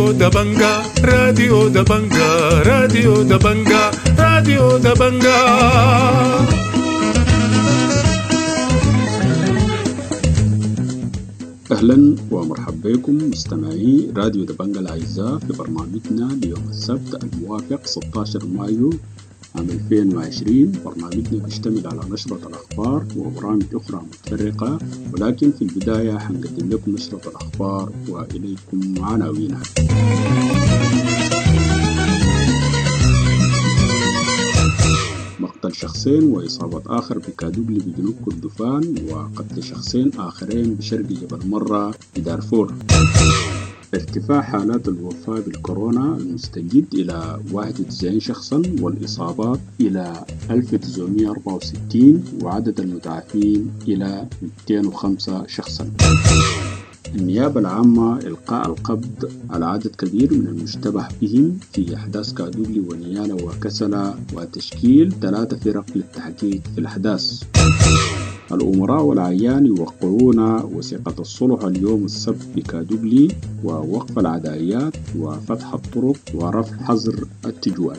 راديو دبنجا، راديو دبنجا، راديو دبنجا، راديو دبنجا. أهلا ومرحبا بكم مستمعي راديو دبنجا الأعزاء في برنامجنا ليوم السبت الموافق 16 مايو عام 2020. برنامجنا بيشتمل على نشرة الأخبار وبرامج أخرى متفرقة، ولكن في البداية حنقدم لكم نشرة الأخبار وإليكم عناوينها. مقتل شخصين وإصابة آخر بكادوغلي بجنوب كردفان، وقتل شخصين آخرين بشرق جبل مرة بدارفور. ارتفاع حالات الوفاة بالكورونا المستجد إلى 91 شخصا، والإصابات إلى 1964، وعدد المتعافين إلى 205 شخصا. النيابة العامة إلقاء القبض على عدد كبير من المشتبه بهم في أحداث كادوغلي ونيالا وكسلا، وتشكيل 3 فرق للتحقيق في الأحداث. الأمراء والأعيان يوقعون وثيقة الصلح اليوم السبت بكادوغلي، ووقف العدائيات وفتح الطرق ورفع حظر التجوال.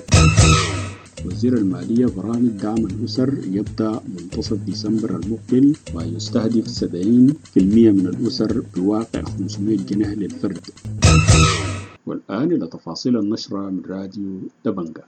وزير المالية برامج دعم الأسر يبدأ منتصف ديسمبر المقبل، ويستهدف 70% من الأسر بواقع 500 جنيه للفرد. والآن إلى تفاصيل النشرة من راديو دبنجا.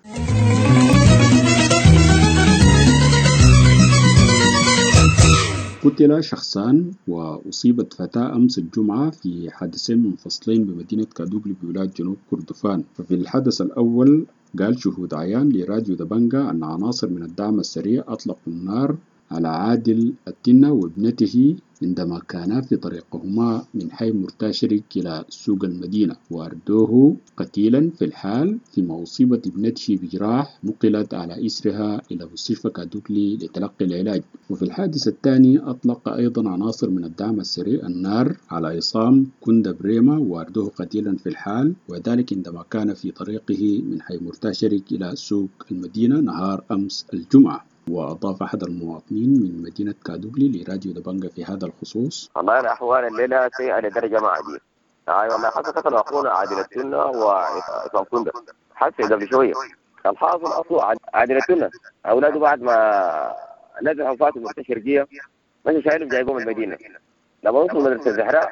قتل شخصان وأصيبت فتاة أمس الجمعة في حادثين منفصلين بمدينة كادوغلي بولاية جنوب كردفان. ففي الحدث الأول قال شهود عيان لراديو دبنجا أن عناصر من الدعم السريع أطلقوا النار على عادل التنة وابنته عندما كانا في طريقهما من حي مرتاشرك إلى سوق المدينة، وأردوه قتيلا في الحال، فيما أصيبت ابنته بجراح نقلت على إثرها إلى مستشفى كادوغلي لتلقي العلاج. وفي الحادث الثاني أطلق أيضا عناصر من الدعم السريع النار على عصام كندا بريما وأردوه قتيلا في الحال، وذلك عندما كان في طريقه من حي مرتاشرك إلى سوق المدينة نهار أمس الجمعة. وأضاف أحد المواطنين من مدينة كادوغلي لراديو دبنجا في هذا الخصوص: والله الأحوال الليلة سيئة لدرجة ما عادية. والله حتى قتلوا أخونا عادل التنة وعصام كندا حتى قبل شوية. الحاصل أصله عادل التنة أولاده بعد ما نزل أنفاسهم المستشرقية مشوا شايلهم جايبهم المدينة. لما وصلوا مدرسة الزهراء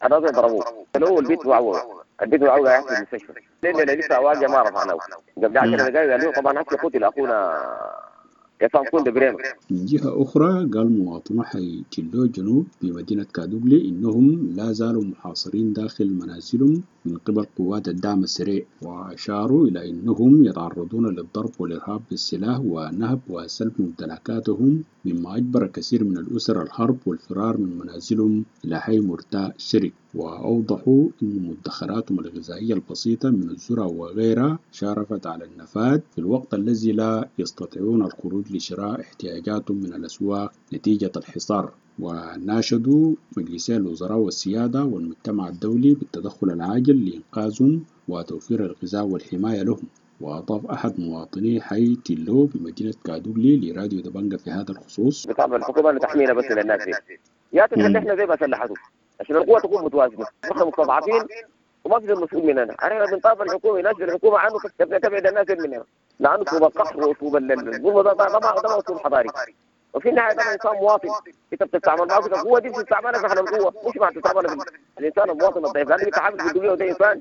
الناس ضربوه، قالوا البيت وعوه، البيت وعوه قاعد في المستشفى. لأن لسه أواجه ما رفعناه قبل 10 دقائق. قالوا طبعا حتى قتل أخونا. من جهة أخرى قال مواطنو حي تشيلو جنوب بمدينة كادوغلي إنهم لا زالوا محاصرين داخل منازلهم من قبل قوات الدعم السريع، وأشاروا إلى أنهم يتعرضون للضرب والإرهاب بالسلاح ونهب وسلب ممتلكاتهم، مما أجبر كثير من الأسر الهرب والفرار من منازلهم إلى حي مرتاء شرك. وأوضحوا أن مدخراتهم الغذائية البسيطة من الذرة وغيرها شارفت على النفاد في الوقت الذي لا يستطيعون الخروج لشراء احتياجاتهم من الأسواق نتيجة الحصار. وناشدوا مجلسي الوزراء والسيادة والمجتمع الدولي بالتدخل العاجل لإنقاذهم وتوفير الغذاء والحماية لهم. وأضاف أحد مواطني حي تيلو بمدينة كادوغلي لراديو دبنجا في هذا الخصوص: بطلب الحكومة أن تحمينا بس للناس دي، يا تسلحنا زي ما سلحتوا عشان القوة تكون متوازنة، نحن مستضعفين وما في مسؤول مننا. احنا بنطالب الحكومة، يناشد الحكومة عنه تبعد الناس مننا، لأنه أسلوب القهر وأسلوب الظلم ده ما أسلوب حضاري. وفي النهاية ده إنسان مواطن، أنت بتستعمل معه القوة دي، بتستعملها في القوة مش مع تستعملها الإنسان المواطن الضعيف، لأنه بيتعامل بالدنيا وده إنسان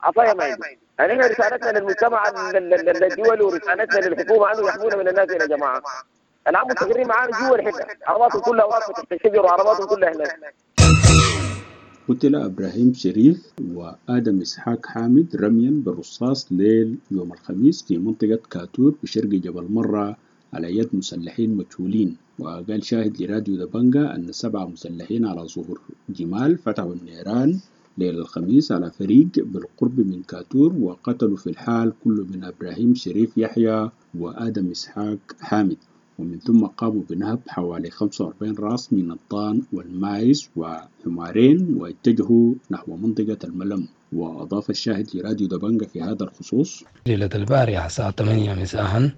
عصاية ما عنده. يعني احنا رسالتنا للمجتمع الدولي ورسالتنا للحكومة عنه يحمونا من الناس يا جماعة. العام مستقرين معانا جوا الحتة، عرباتهم كلها واقفة تحت الشجر وعرباتهم كلها هناك. قتل إبراهيم شريف وآدم إسحاق حامد رميا بالرصاص ليل يوم الخميس في منطقة كاتور بشرق جبل مرة على يد مسلحين مجهولين. وقال شاهد لراديو دبنجا أن 7 مسلحين على ظهور جمال فتحوا النيران ليل الخميس على فريق بالقرب من كاتور، وقتلوا في الحال كل من إبراهيم شريف يحيى وآدم إسحاق حامد. ومن ثم قاموا بنهب حوالي 45 راس من الضان والمايس وحمارين واتجهوا نحو منطقة الملم. وأضاف الشاهد لراديو دبنجا في هذا الخصوص: ليلة البارحة الساعة 8 مساء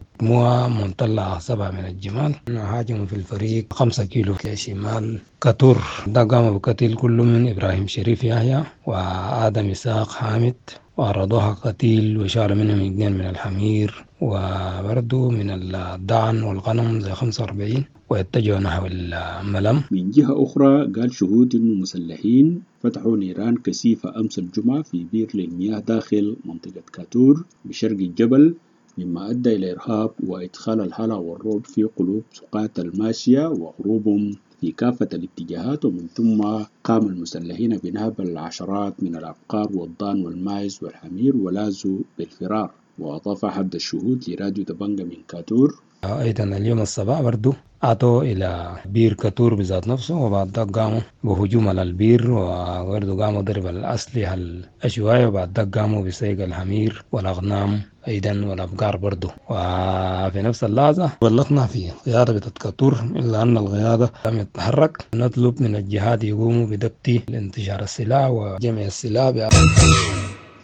منطلع 7 من الجمال هاجموا في الفريق 5 كيلو شمال كتور. ده قام بقتل كل من إبراهيم شريف يحيى وآدم إسحاق حامد وعرضوها قتيل وشالوا منهم 2 من الحمير وبرضو من الضعن والغنم زي 45 واتجهوا نحو الملم. من جهة أخرى قال شهود أن المسلحين فتحوا نيران كثيفة أمس الجمعة في بير للمياه داخل منطقة كاتور بشرق الجبل، مما أدى إلى إرهاب وإدخال الهلع والرعب في قلوب سقاة الماشية وهروبهم في كافة الاتجاهات. ومن ثم قام المسلحين بنهب العشرات من الأبقار والضان والماعز والحمير ولاذوا بالفرار. وأضاف أحد الشهود لراديو دبنجا من كاتور: أيضا اليوم الصباح برضو أتوا إلى بير كاتور بذات نفسه، وبعد ذاك قاموا بهجوم على البير، وبرضو قاموا ضرب الأسلحة الأشواية، وبعد ذاك قاموا بسيق الحمير والأغنام أيضا والأبقار برضو. وفي نفس اللحظة بلغنا في قيادة بتاعت كاتور إلا أن القيادة لم يتحرك. نطلب من الجهات يقوموا بضبط انتشار السلاح وجمع السلاح.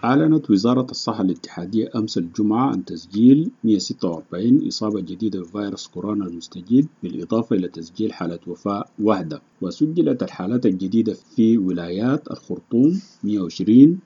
أعلنت وزارة الصحة الاتحادية أمس الجمعة عن تسجيل 146 إصابة جديدة بفيروس كورونا المستجد، بالإضافة إلى تسجيل حالة وفاة واحدة. وسجلت الحالات الجديدة في ولايات الخرطوم 120،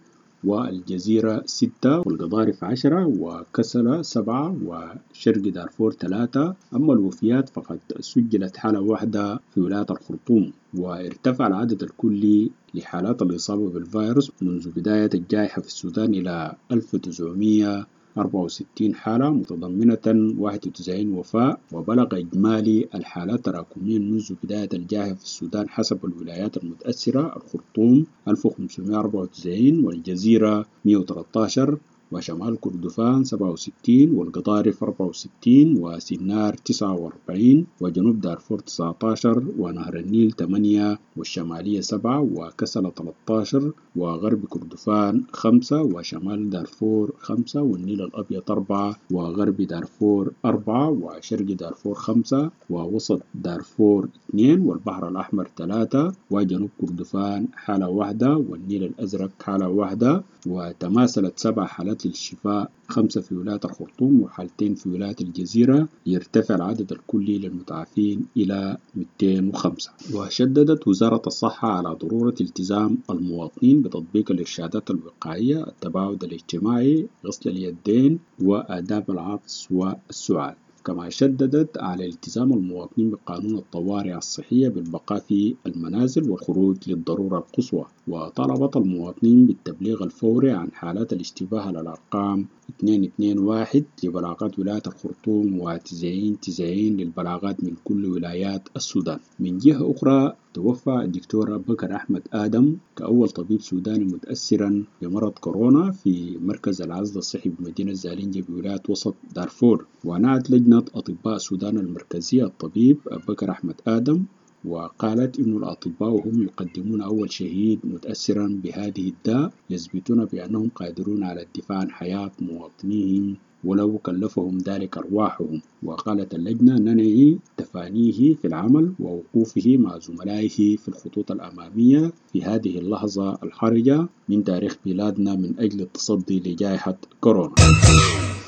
والجزيرة 6، والقضارف 10، وكسلة 7، وشرق دارفور 3. أما الوفيات فقد سجلت حالة واحدة في ولاية الخرطوم. وارتفع العدد الكلي لحالات الإصابة بالفيروس منذ بداية الجائحة في السودان إلى 1964 حالة متضمنة 91 وفاة. وبلغ إجمالي الحالات تراكميا منذ بداية الجائحة في السودان حسب الولايات المتأثرة: الخرطوم 1594، والجزيرة 113، وشمال كردفان 67، والقضارف 64، وسنار 49، وجنوب دارفور 19، ونهر النيل 8، والشمالية 7، وكسلة 13، وغرب كردفان 5، وشمال دارفور 5، والنيل الأبيض 4، وغرب دارفور 4، وشرق دارفور 5، ووسط دارفور 2، والبحر الأحمر 3، وجنوب كردفان حالة واحدة، والنيل الأزرق حالة واحدة. وتماثلت 7 حالات للشفاء، 5 في ولاية الخرطوم وحالتين في ولاية الجزيرة، يرتفع العدد الكلي للمتعافين إلى 205. وشددت وزارة الصحة على ضرورة التزام المواطنين بتطبيق الإرشادات الوقائية، التباعد الاجتماعي، غسل اليدين، وآداب العطس والسعال. كما شددت على التزام المواطنين بقانون الطوارئ الصحية بالبقاء في المنازل والخروج للضرورة القصوى. وطلبت المواطنين بالتبليغ الفوري عن حالات الاشتباه على الأرقام 221 لبلاغات ولاية الخرطوم و9090 للبلاغات من كل ولايات السودان. من جهة أخرى توفى الدكتور بكر أحمد آدم كأول طبيب سوداني متأثرا بمرض كورونا في مركز العزل الصحي بمدينة زالينجا بولاية وسط دارفور. ونعت لجنة أطباء السودان المركزية الطبيب بكر أحمد آدم، وقالت إن الأطباء هم يقدمون أول شهيد متأثرا بهذه الداء، يثبتون بأنهم قادرون على الدفاع عن حياة مواطنيهم ولو كلفهم ذلك أرواحهم. وقالت اللجنة ننعي تفانيه في العمل ووقوفه مع زملائه في الخطوط الأمامية في هذه اللحظة الحرجة من تاريخ بلادنا من أجل التصدي لجائحة كورونا.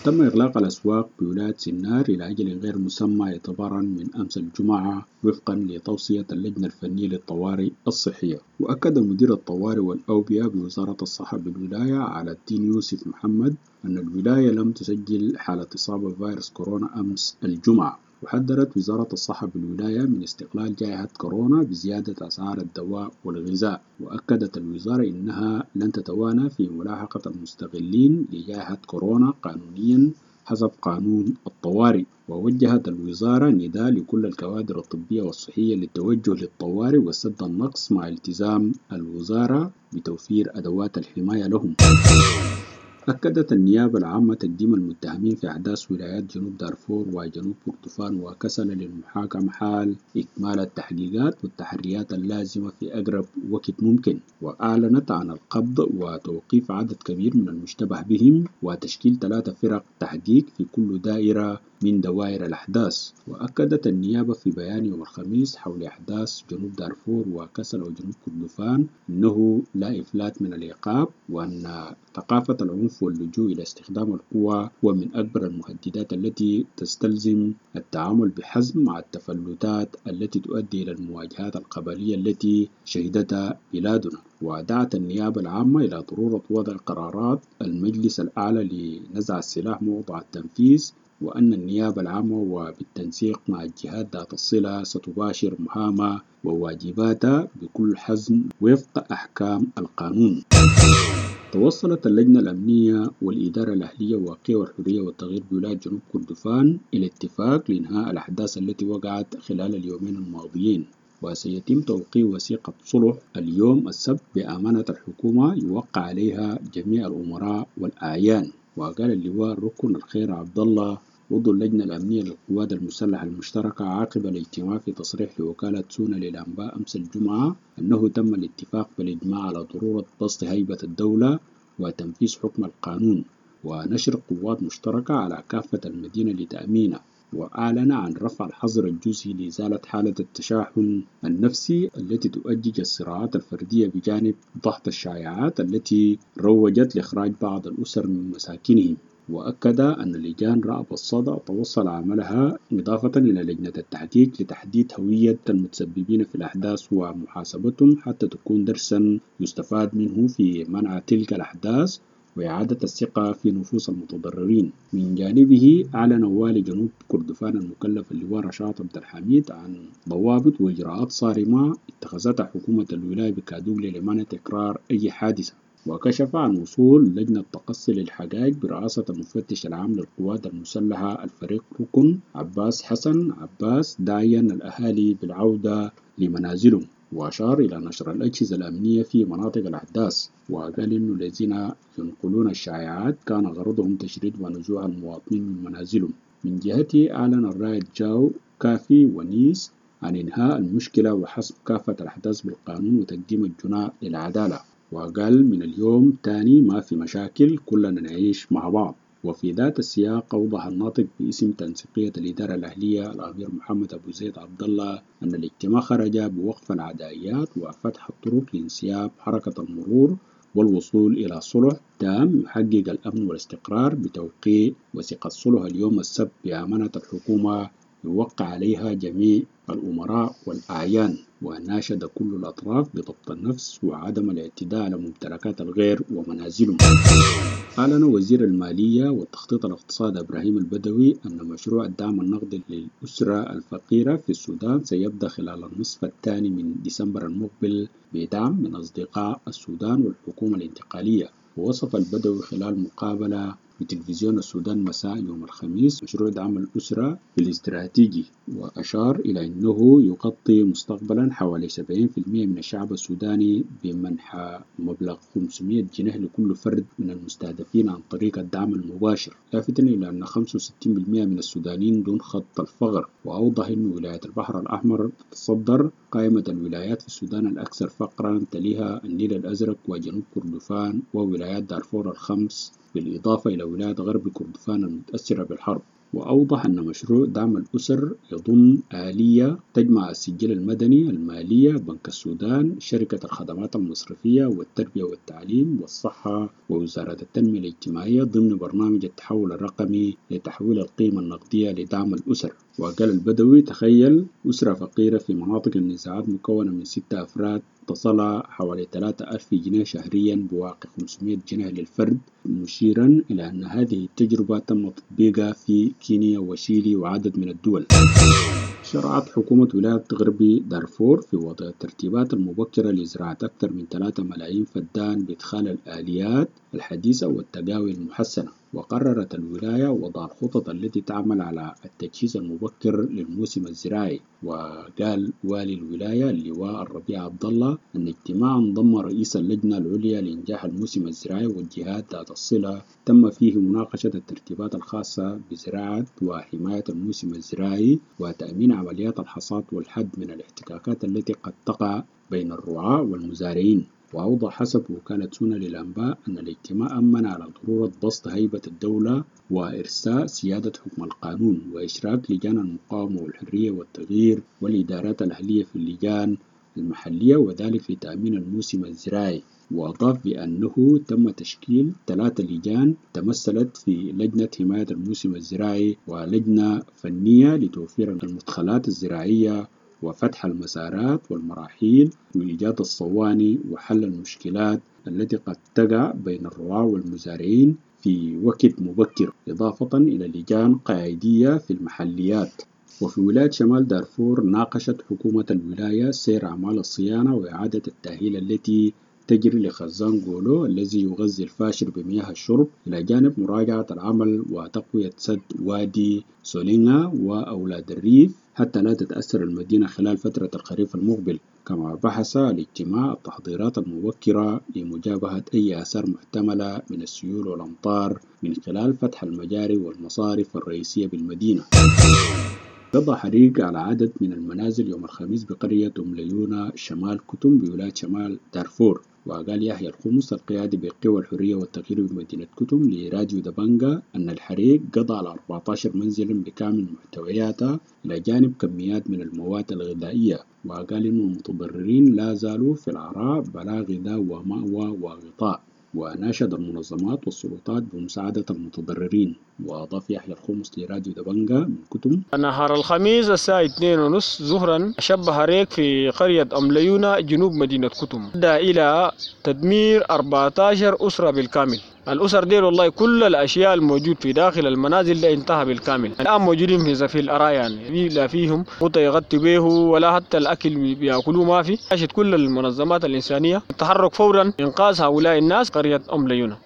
تم إغلاق الأسواق بولاية سنار إلى أجل غير مسمى اعتبارا من أمس الجمعة وفقا لتوصية اللجنة الفنية للطوارئ الصحية. وأكد مدير الطوارئ والأوبئة بوزارة الصحة بالولاية على الدين يوسف محمد أن الولاية لم تسجل حالة إصابة بفيروس كورونا أمس الجمعة. وحذرت وزارة الصحة بالولاية من استغلال جائحة كورونا بزيادة أسعار الدواء والغذاء. وأكدت الوزارة إنها لن تتوانى في ملاحقة المستغلين لجائحة كورونا قانونيا حسب قانون الطوارئ. ووجهت الوزارة نداء لكل الكوادر الطبية والصحية للتوجه للطوارئ وسد النقص مع التزام الوزارة بتوفير أدوات الحماية لهم. أكدت النيابة العامة تقديم المتهمين في أحداث ولايات جنوب دارفور وجنوب كردفان وكسلا للمحاكمة حال إكمال التحقيقات والتحريات اللازمة في أقرب وقت ممكن. وأعلنت عن القبض وتوقيف عدد كبير من المشتبه بهم وتشكيل 3 فرق تحقيق في كل دائرة من دوائر الأحداث. وأكدت النيابة في بيان يوم الخميس حول أحداث جنوب دارفور وكسلا وجنوب كردفان أنه لا إفلات من العقاب، وأن ثقافة العنف واللجوء إلى استخدام القوة هو من أكبر المهددات التي تستلزم التعامل بحزم مع التفلتات التي تؤدي إلى المواجهات القبلية التي شهدتها بلادنا. ودعت النيابة العامة إلى ضرورة وضع قرارات المجلس الأعلى لنزع السلاح موضع التنفيذ، وأن النيابة العامة وبالتنسيق مع الجهات ذات الصلة ستباشر مهامها وواجباتها بكل حزم وفق أحكام القانون. توصلت اللجنة الأمنية والإدارة الأهلية وقوى الحرية والتغيير بولاية جنوب كردفان إلى اتفاق لإنهاء الأحداث التي وقعت خلال اليومين الماضيين، وسيتم توقيع وثيقة صلح اليوم السبت بأمانة الحكومة يوقع عليها جميع الأمراء والأعيان. وقال اللواء الركن الخير عبد الله عضو اللجنة الأمنية للقوات المسلحة المشتركة عقب الاجتماع في تصريح لوكالة سونا للأنباء أمس الجمعة أنه تم الاتفاق بالإجماع على ضرورة بسط هيبة الدولة وتنفيذ حكم القانون ونشر قوات مشتركة على كافة المدينة لتأمينها. وأعلن عن رفع الحظر الجزئي لإزالة حالة التشاحن النفسي التي تؤجج الصراعات الفردية بجانب ضغط الشائعات التي روجت لإخراج بعض الأسر من مساكنهم. وأكد أن لجان رأب الصدع توصل عملها إضافة إلى لجنة التحقيق لتحديد هوية المتسببين في الأحداث ومحاسبتهم حتى تكون درسا يستفاد منه في منع تلك الأحداث وإعادة الثقة في نفوس المتضررين. من جانبه أعلن والي جنوب كردفان المكلف اللواء رشاد عبد الحميد عن ضوابط وإجراءات صارمة اتخذتها حكومة الولاية بكادوغلي لمنع تكرار أي حادثة. وكشف عن وصول لجنة تقصي للحقائق برئاسة المفتش العام للقوات المسلحة الفريق ركن عباس حسن عباس داعيا الأهالي بالعودة لمنازلهم. وأشار إلى نشر الأجهزة الأمنية في مناطق الأحداث، وقال إنه الذين ينقلون الشائعات كان غرضهم تشريد ونزوح المواطنين من منازلهم. من جهته أعلن الرائد جاو كافي ونيس عن إنهاء المشكلة وحسم كافة الأحداث بالقانون وتقديم الجناة للعدالة. وقال من اليوم تاني ما في مشاكل، كلنا نعيش مع بعض. وفي ذات السياق أوضح الناطق باسم تنسيقية الإدارة الأهلية الأمير محمد أبو زيد عبد الله أن الاجتماع خرج بوقف العدائيات وفتح الطرق لانسياب حركة المرور والوصول إلى صلح تام يحقق الأمن والاستقرار بتوقيع وثيقة صلح اليوم السبت بأمانة الحكومة يوقع عليها جميع الأمراء والأعيان. وناشد كل الأطراف بضبط النفس وعدم الاعتداء على ممتلكات الغير ومنازلهم. أعلن وزير المالية والتخطيط الاقتصادي إبراهيم البدوي أن مشروع الدعم النقدي للأسرة الفقيرة في السودان سيبدأ خلال النصف الثاني من ديسمبر المقبل بدعم من أصدقاء السودان والحكومة الانتقالية. ووصف البدوي خلال مقابلة بتلفزيون السودان مساء يوم الخميس مشروع دعم الأسرة بالاستراتيجي، وأشار إلى أنه يغطي مستقبلا حوالي 70% من الشعب السوداني بمنح مبلغ 500 جنيه لكل فرد من المستهدفين عن طريق الدعم المباشر، لافتا إلى أن 65% من السودانيين دون خط الفقر. وأوضح أن ولاية البحر الأحمر تتصدر قائمة الولايات في السودان الأكثر فقرا، تليها النيل الأزرق وجنوب كردفان وولايات دارفور الخمس، بالإضافة إلى ولاية غرب كردفان المتأثرة بالحرب. وأوضح أن مشروع دعم الأسر يضم آلية تجمع السجل المدني، المالية، بنك السودان، شركة الخدمات المصرفية والتربية والتعليم والصحة ووزارة التنمية الاجتماعية ضمن برنامج التحول الرقمي لتحويل القيمة النقدية لدعم الأسر. وقال البدوي تخيل أسرة فقيرة في مناطق النزاعات مكونة من 6 أفراد تصل حوالي 3000 جنيه شهريا بواقع 500 جنيه للفرد، مشيرا إلى أن هذه التجربة تم تطبيقها في كينيا وشيلي وعدد من الدول. شرعت حكومة ولاية غرب دارفور في وضع الترتيبات المبكرة لزراعة أكثر من 3 ملايين فدان بإدخال الآليات الحديثة والتقاوي المحسنة. وقررت الولاية وضع الخطط التي تعمل على التجهيز المبكر للموسم الزراعي. وقال والي الولاية اللواء الربيع عبد الله أن اجتماعا ضم رئيس اللجنة العليا لإنجاح الموسم الزراعي والجهات ذات الصلة تم فيه مناقشة الترتيبات الخاصة بزراعة وحماية الموسم الزراعي وتأمين عمليات الحصاد والحد من الاحتكاكات التي قد تقع بين الرعاة والمزارعين. وأوضح حسب وكالة سونا للأنباء أن الاجتماع أمن على ضرورة بسط هيبة الدولة وإرساء سيادة حكم القانون وإشراك لجان المقاومة والحرية والتغيير والإدارات الأهلية في اللجان المحلية، وذلك لتأمين الموسم الزراعي. وأضاف بأنه تم تشكيل 3 لجان تمثلت في لجنة حماية الموسم الزراعي ولجنة فنية لتوفير المدخلات الزراعية وفتح المسارات والمراحيل وإيجاد الصواني وحل المشكلات التي قد تقع بين الرعاة والمزارعين في وقت مبكر، إضافة إلى لجان قاعدية في المحليات. وفي ولاية شمال دارفور ناقشت حكومة الولاية سير أعمال الصيانة وإعادة التأهيل التي تجري لخزان جولو الذي يغذي الفاشر بمياه الشرب، إلى جانب مراجعة العمل وتقوية سد وادي سولينغا وأولاد الريف حتى لا تتأثر المدينة خلال فترة الخريف المقبل. كما بحث الاجتماع التحضيرات المبكرة لمجابهة أي آثار محتملة من السيول والأمطار من خلال فتح المجاري والمصارف الرئيسية بالمدينة. قضى حريق على عدد من المنازل يوم الخميس بقرية أم ليونة شمال كتم بولاية شمال دارفور. وقال يحيى الخمس القيادي بقوى الحرية والتغيير بمدينة كتم لراديو دبنجا أن الحريق قضى على 14 منزلا بكامل محتوياتها إلى جانب كميات من المواد الغذائية. وقال إن المتضررين لا زالوا في العراء بلا غذاء ومأوى وغطاء، وناشد المنظمات والسلطات بمساعدة المتضررين. وأضاف يحيى الخمس لراديو دبنجا من كتم: نهار الخميس الساعة 2:30 ظهرا شب حريق في قرية أم ليونة جنوب مدينة كتم، أدى إلى تدمير 14 أسرة بالكامل. الأسر ديل والله كل الأشياء الموجود في داخل المنازل ده انتهى بالكامل. الآن موجودين في الأراء، يعني لا فيهم غطى يغطي به ولا حتى الأكل بيأكلوه ما في. عاشت كل المنظمات الإنسانية التحرك فورا إنقاذ هؤلاء الناس قرية أم ليونة.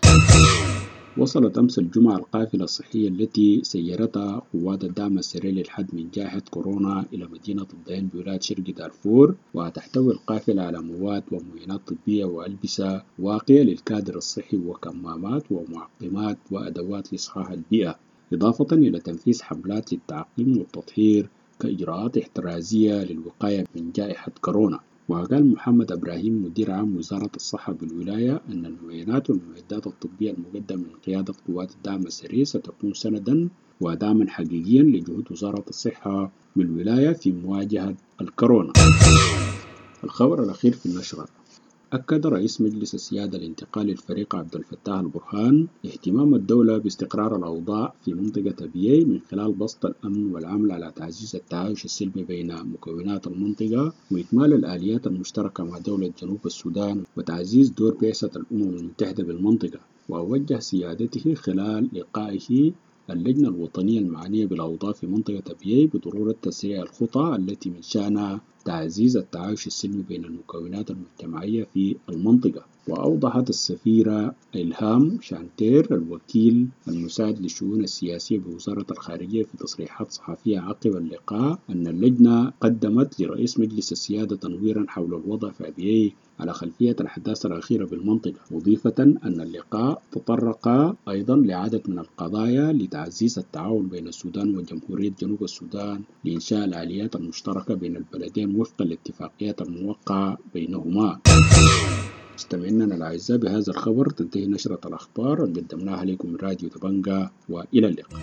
وصلت أمس الجمعة القافلة الصحية التي سيرتها قوات الدعم السريع للحد من جائحة كورونا إلى مدينة الضين بولاية شرق دارفور، وتحتوي القافلة على مواد ومعينات طبية وألبسة واقية للكادر الصحي وكمامات ومعقمات وأدوات لإصحاح البيئة، إضافة إلى تنفيذ حملات للتعقيم والتطهير كإجراءات احترازية للوقاية من جائحة كورونا. وقال محمد إبراهيم مدير عام وزارة الصحة بالولاية أن المعينات والمعدات الطبية المقدمة من قيادة قوات الدعم السريع ستكون سندا ودعما حقيقيا لجهود وزارة الصحة بالولاية في مواجهة الكورونا. الخبر الأخير في النشرة: أكد رئيس مجلس السيادة الانتقالي الفريق عبد الفتاح البرهان اهتمام الدولة باستقرار الأوضاع في منطقة أبيي من خلال بسط الأمن والعمل على تعزيز التعايش السلمي بين مكونات المنطقة وإكمال الآليات المشتركة مع دولة جنوب السودان وتعزيز دور بعثة الأمم المتحدة بالمنطقة. ووجه سيادته خلال لقائه اللجنة الوطنية المعنية بالأوضاع في منطقة أبيي بضرورة تسريع الخطى التي من شأنها تعزيز التعايش السلمي بين المكونات المجتمعية في المنطقة. وأوضحت السفيرة إلهام شانتير الوكيل المساعد للشؤون السياسية بوزارة الخارجية في تصريحات صحفية عقب اللقاء أن اللجنة قدمت لرئيس مجلس السيادة تنويرا حول الوضع في أبيي على خلفية الأحداث الأخيرة بالمنطقة، مضيفة أن اللقاء تطرق أيضا لعدد من القضايا لتعزيز التعاون بين السودان وجمهورية جنوب السودان لإنشاء الآليات المشتركة بين البلدين وفق الاتفاقيات الموقعة بينهما. مستمعينا الأعزاء، بهذا الخبر تنتهي نشرة الأخبار اللي قدمناها لكم من راديو دبنجا، وإلى اللقاء.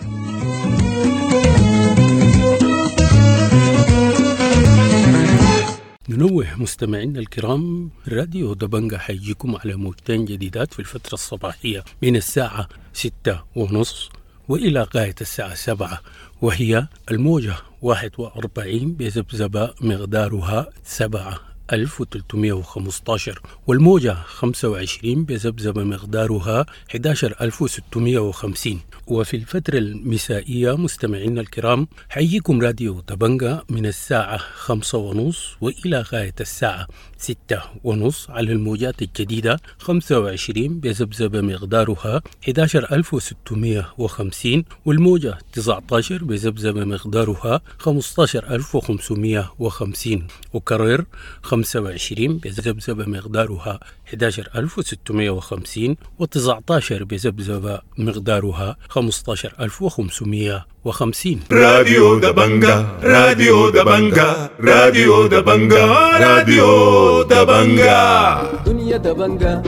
ننوه مستمعينا الكرام، راديو دبنجا حيجيكم على موجتين جديدات في الفترة الصباحية من الساعة 6:30 وإلى غاية الساعة 7، وهي الموجة 41 بذبذبة مقدارها 7315، والموجة 25 بذبذبة مقدارها 11650. وفي الفترة المسائية مستمعينا الكرام حييكم راديو دبنجا من الساعة 5:30 وإلى غاية الساعة 6:30 على الموجات الجديدة 25 بذبذبة مقدارها 11650، والموجة 19 بذبذبة مقدارها 15550. وكرر 25 25 بذبذبة مقدارها 11650، و19 بذبذبة مقدارها 15550. راديو دبنجا، راديو دبنجا، راديو دبنجا، راديو دبنجا. دنيا دبنجا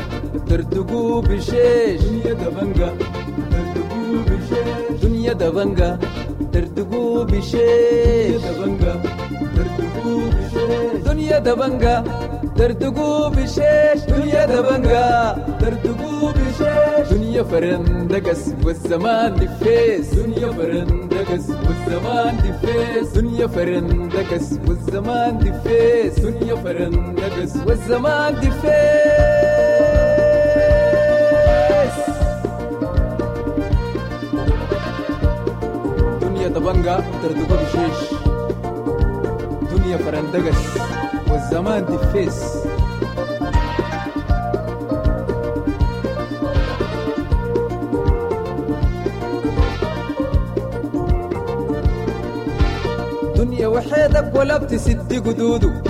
ترتقو بشيش، دنيا دبنجا ترتقو بشيش، دنيا دبنجا ترتقو بشيش، دبنجا ترتقو بشيش، دنيا دبنجا ترتقو بشيش، دنيا دبنجا ترتقو بشيش، دنيا فرندقس والزمان دفيس، دنيا فرندقس والزمان دفيس، دنيا فرندقس والزمان دفيس، دنيا فرندقس والزمان دفيس. دنيا دبنجا تردقو بشيش، دنيا فرندقس والزمان دفيس. دنيا وحيدك ولا بتسد قدوده،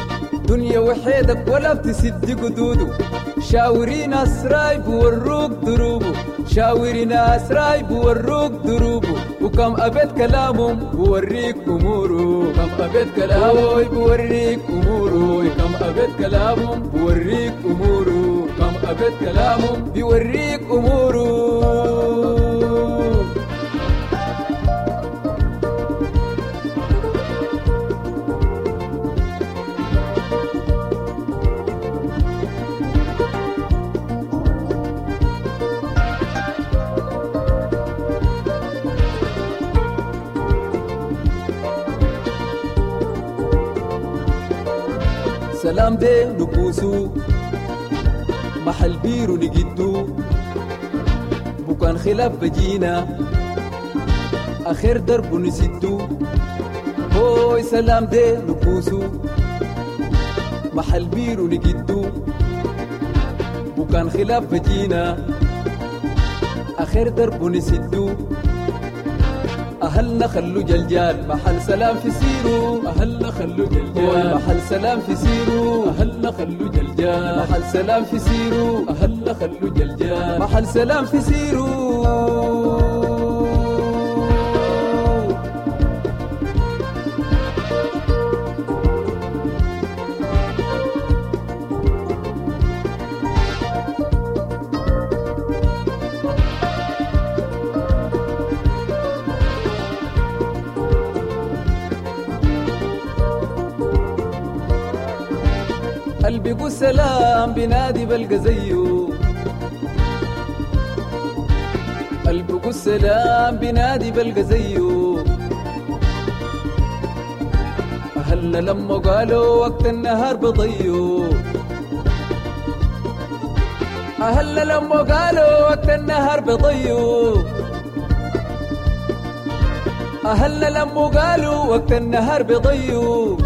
دنيا وحيدك ولا بتسد قدوده، شاوري ناس رايب وروك دروبه، شاوري ناس رايب وروك دروبه، وكم أبيت كلامهم بوريك أموره، كم أبيت كلامه بوريك أموره، كم أبيت كلامهم بوريك أموره، كم أبيت كلامهم بيوريك أموره. سلام دي نكوسو محل بيرو نجدو، بكان خلاف بجينا آخر درب نسدو، هوي سلام دي نكوسو محل بيرو نجدو، بكان خلاف بجينا آخر درب نسدو، أهلنا خلو جلجال محل سلام في سيرو، أهلنا خلو جلجال محل سلام في سيرو، أهلنا خلو جلجال محل سلام في سيرو، أهلنا خلو جلجال محل سلام في سيرو. قلبي سلام بنادي بلقى زيه، قلبي سلام بنادي بلقى زيه، أهلنا لما قالوا وقت النهار بضيو، أهلنا لما قالوا وقت النهار بضيو، أهلنا لما قالوا وقت النهار بضيو،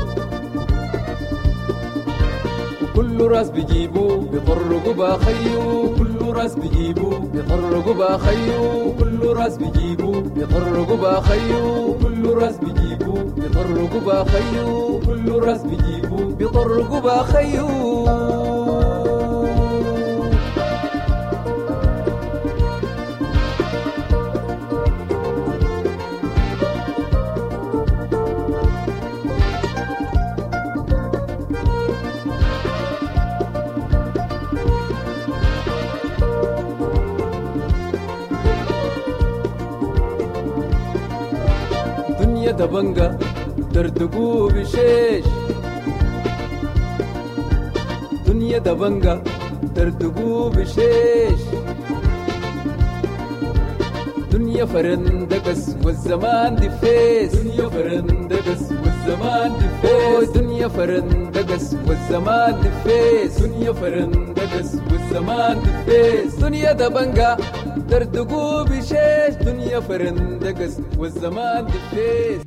كل راس بيجيبو بيطرقوا باخيو، كل راس بيجيبو بيطرقوا باخيو، كل راس بيجيبو بيطرقوا باخيو، كل راس بيجيبو بيطرقوا باخيو، كل راس بيجيبو بيطرقوا باخيو. دبنجا ترتقو بشيش، دنيا دبنجا ترتقو بشيش، دنيا فرندقس والزمان دفيس، دنيا فرندقس والزمان دفيس، دنيا فرندقس والزمان دفيس، دنيا فرندقس والزمان دفيس، دنيا دبنجا ترتقو بشيش، دنيا فرندقس والزمان دفيس.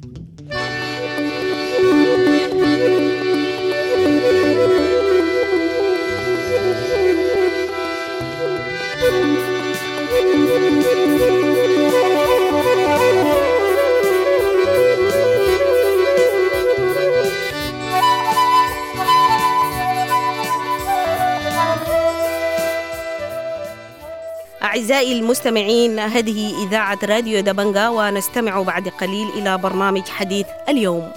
أعزائي المستمعين، هذه إذاعة راديو دبنجا، ونستمع بعد قليل إلى برنامج حديث اليوم.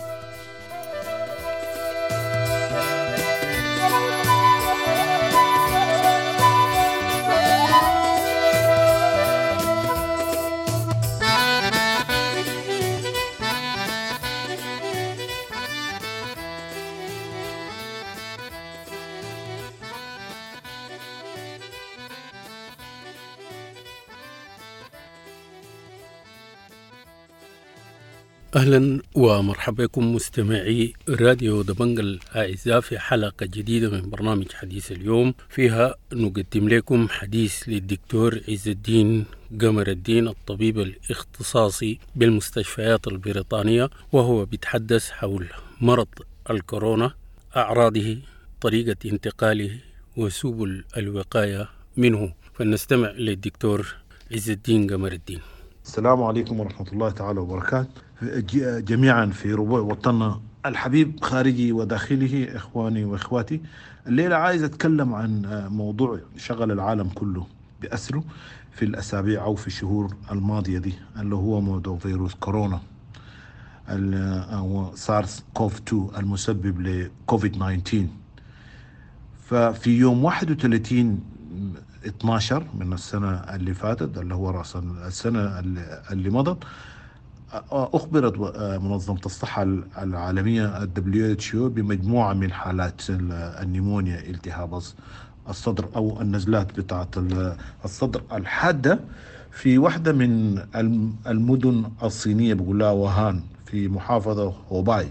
أهلا ومرحبا بكم مستمعي راديو دبنجا الأعزاء في حلقة جديدة من برنامج حديث اليوم، فيها نقدم لكم حديث للدكتور عز الدين قمر الدين الطبيب الاختصاصي بالمستشفيات البريطانية، وهو بيتحدث حول مرض الكورونا، أعراضه، طريقة انتقاله، وسبل الوقاية منه. فلنستمع للدكتور عز الدين قمر الدين. السلام عليكم ورحمة الله تعالى وبركاته جميعا في ربوع وطننا الحبيب خارجي وداخله، إخواني وإخواتي. الليلة عايز أتكلم عن موضوع شغل العالم كله بأسره في الأسابيع أو في الشهور الماضية دي، اللي هو موضوع فيروس كورونا أو سارس كوف 2 المسبب لكوفيد 19. ففي يوم 31/12 من السنة اللي فاتت، اللي هو رأس السنة اللي مضت، أخبرت منظمة الصحة العالمية WHO بمجموعة من حالات النيمونيا، التهاب الصدر أو النزلات بتاعة الصدر الحادة، في واحدة من المدن الصينية بيقولها وهان في محافظة هوباي.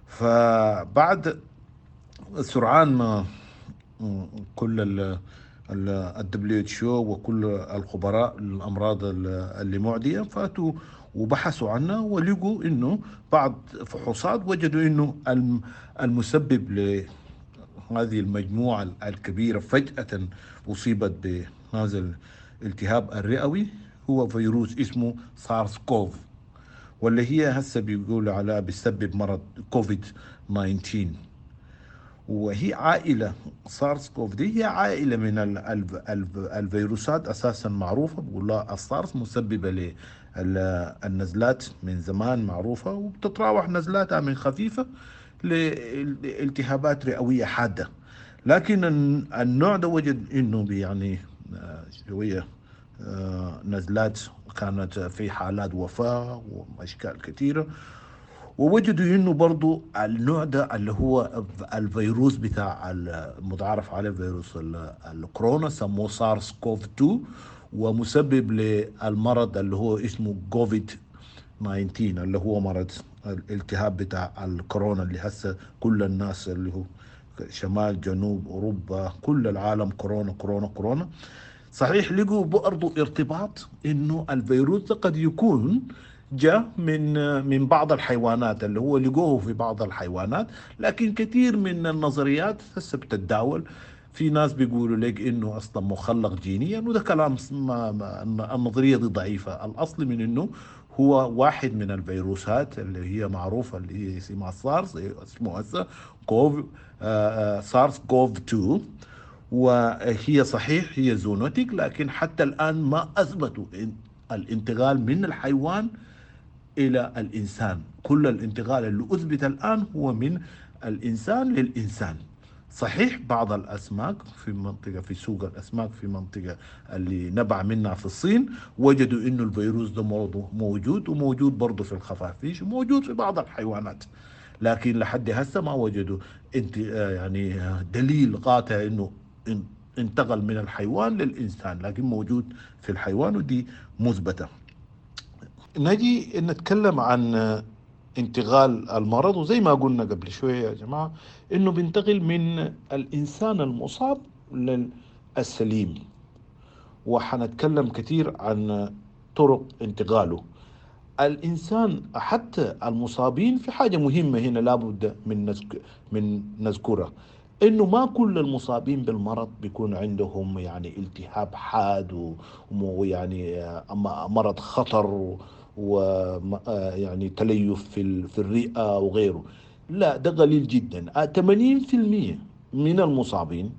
فبعد سرعان ما كل ال WHO وكل الخبراء للأمراض اللي معدية فاتوا وبحثوا عنها، ولقوا إنه بعض فحوصات وجدوا إنه المسبب لهذه المجموعة الكبيرة فجأة أصيبت بهذا الالتهاب الرئوي هو فيروس اسمه سارس كوف، واللي هي هسه بيقولوا على بيسبب مرض كوفيد 19. وهي عائلة سارس كوف دي هي عائلة من الفيروسات أساسا معروفة، بقول لها السارس، مسببة للنزلات من زمان معروفة، وبتتراوح نزلاتها من خفيفة لالتهابات رئوية حادة. لكن النوع ده وجد إنه يعني شوية نزلات كانت في حالات وفاة وأشكال كثيرة، ووجدوا انه برضو النوع ده اللي هو الفيروس بتاع المتعارف عليه فيروس الكورونا، سموه سارس كوف 2، ومسبب للمرض اللي هو اسمه كوفيد 19، اللي هو مرض الالتهاب بتاع الكورونا اللي هسه كل الناس اللي هو شمال جنوب اوروبا كل العالم كورونا كورونا كورونا. صحيح لقوا برضو ارتباط انه الفيروس ده قد يكون جاء من بعض الحيوانات، اللي هو لقوه في بعض الحيوانات، لكن كثير من النظريات هسه بتتداول، في ناس بيقولوا لك انه اصلا مخلق جينيا، وده كلام النظريه دي ضعيفه. الاصل من انه هو واحد من الفيروسات اللي هي معروفه، اللي هي اسمها سارس، اسمه هسه كوف سارس كوف 2، وهي صحيح هي zoonotic، لكن حتى الان ما اثبتوا الانتقال من الحيوان إلى الإنسان. كل الانتقال اللي أثبت الآن هو من الإنسان للإنسان. صحيح بعض الأسماك في منطقة، في سوق الأسماك في منطقة اللي نبع منها في الصين، وجدوا إنه الفيروس ده موجود، وموجود برضه في الخفافيش، وموجود في بعض الحيوانات، لكن لحد هسه ما وجدوا يعني دليل قاطع إنه انتقل من الحيوان للإنسان، لكن موجود في الحيوان ودي مثبتة. نجي نتكلم عن انتقال المرض، وزي ما قلنا قبل شوية يا جماعة إنه بينتقل من الإنسان المصاب للسليم، وحنتكلم كثير عن طرق انتقاله. الإنسان حتى المصابين، في حاجة مهمة هنا لابد من نذكرها، إنه ما كل المصابين بالمرض بيكون عندهم يعني التهاب حاد ويعني مرض خطر ويعني تليف في الرئة وغيره. لا، ده قليل جدا. 80% من المصابين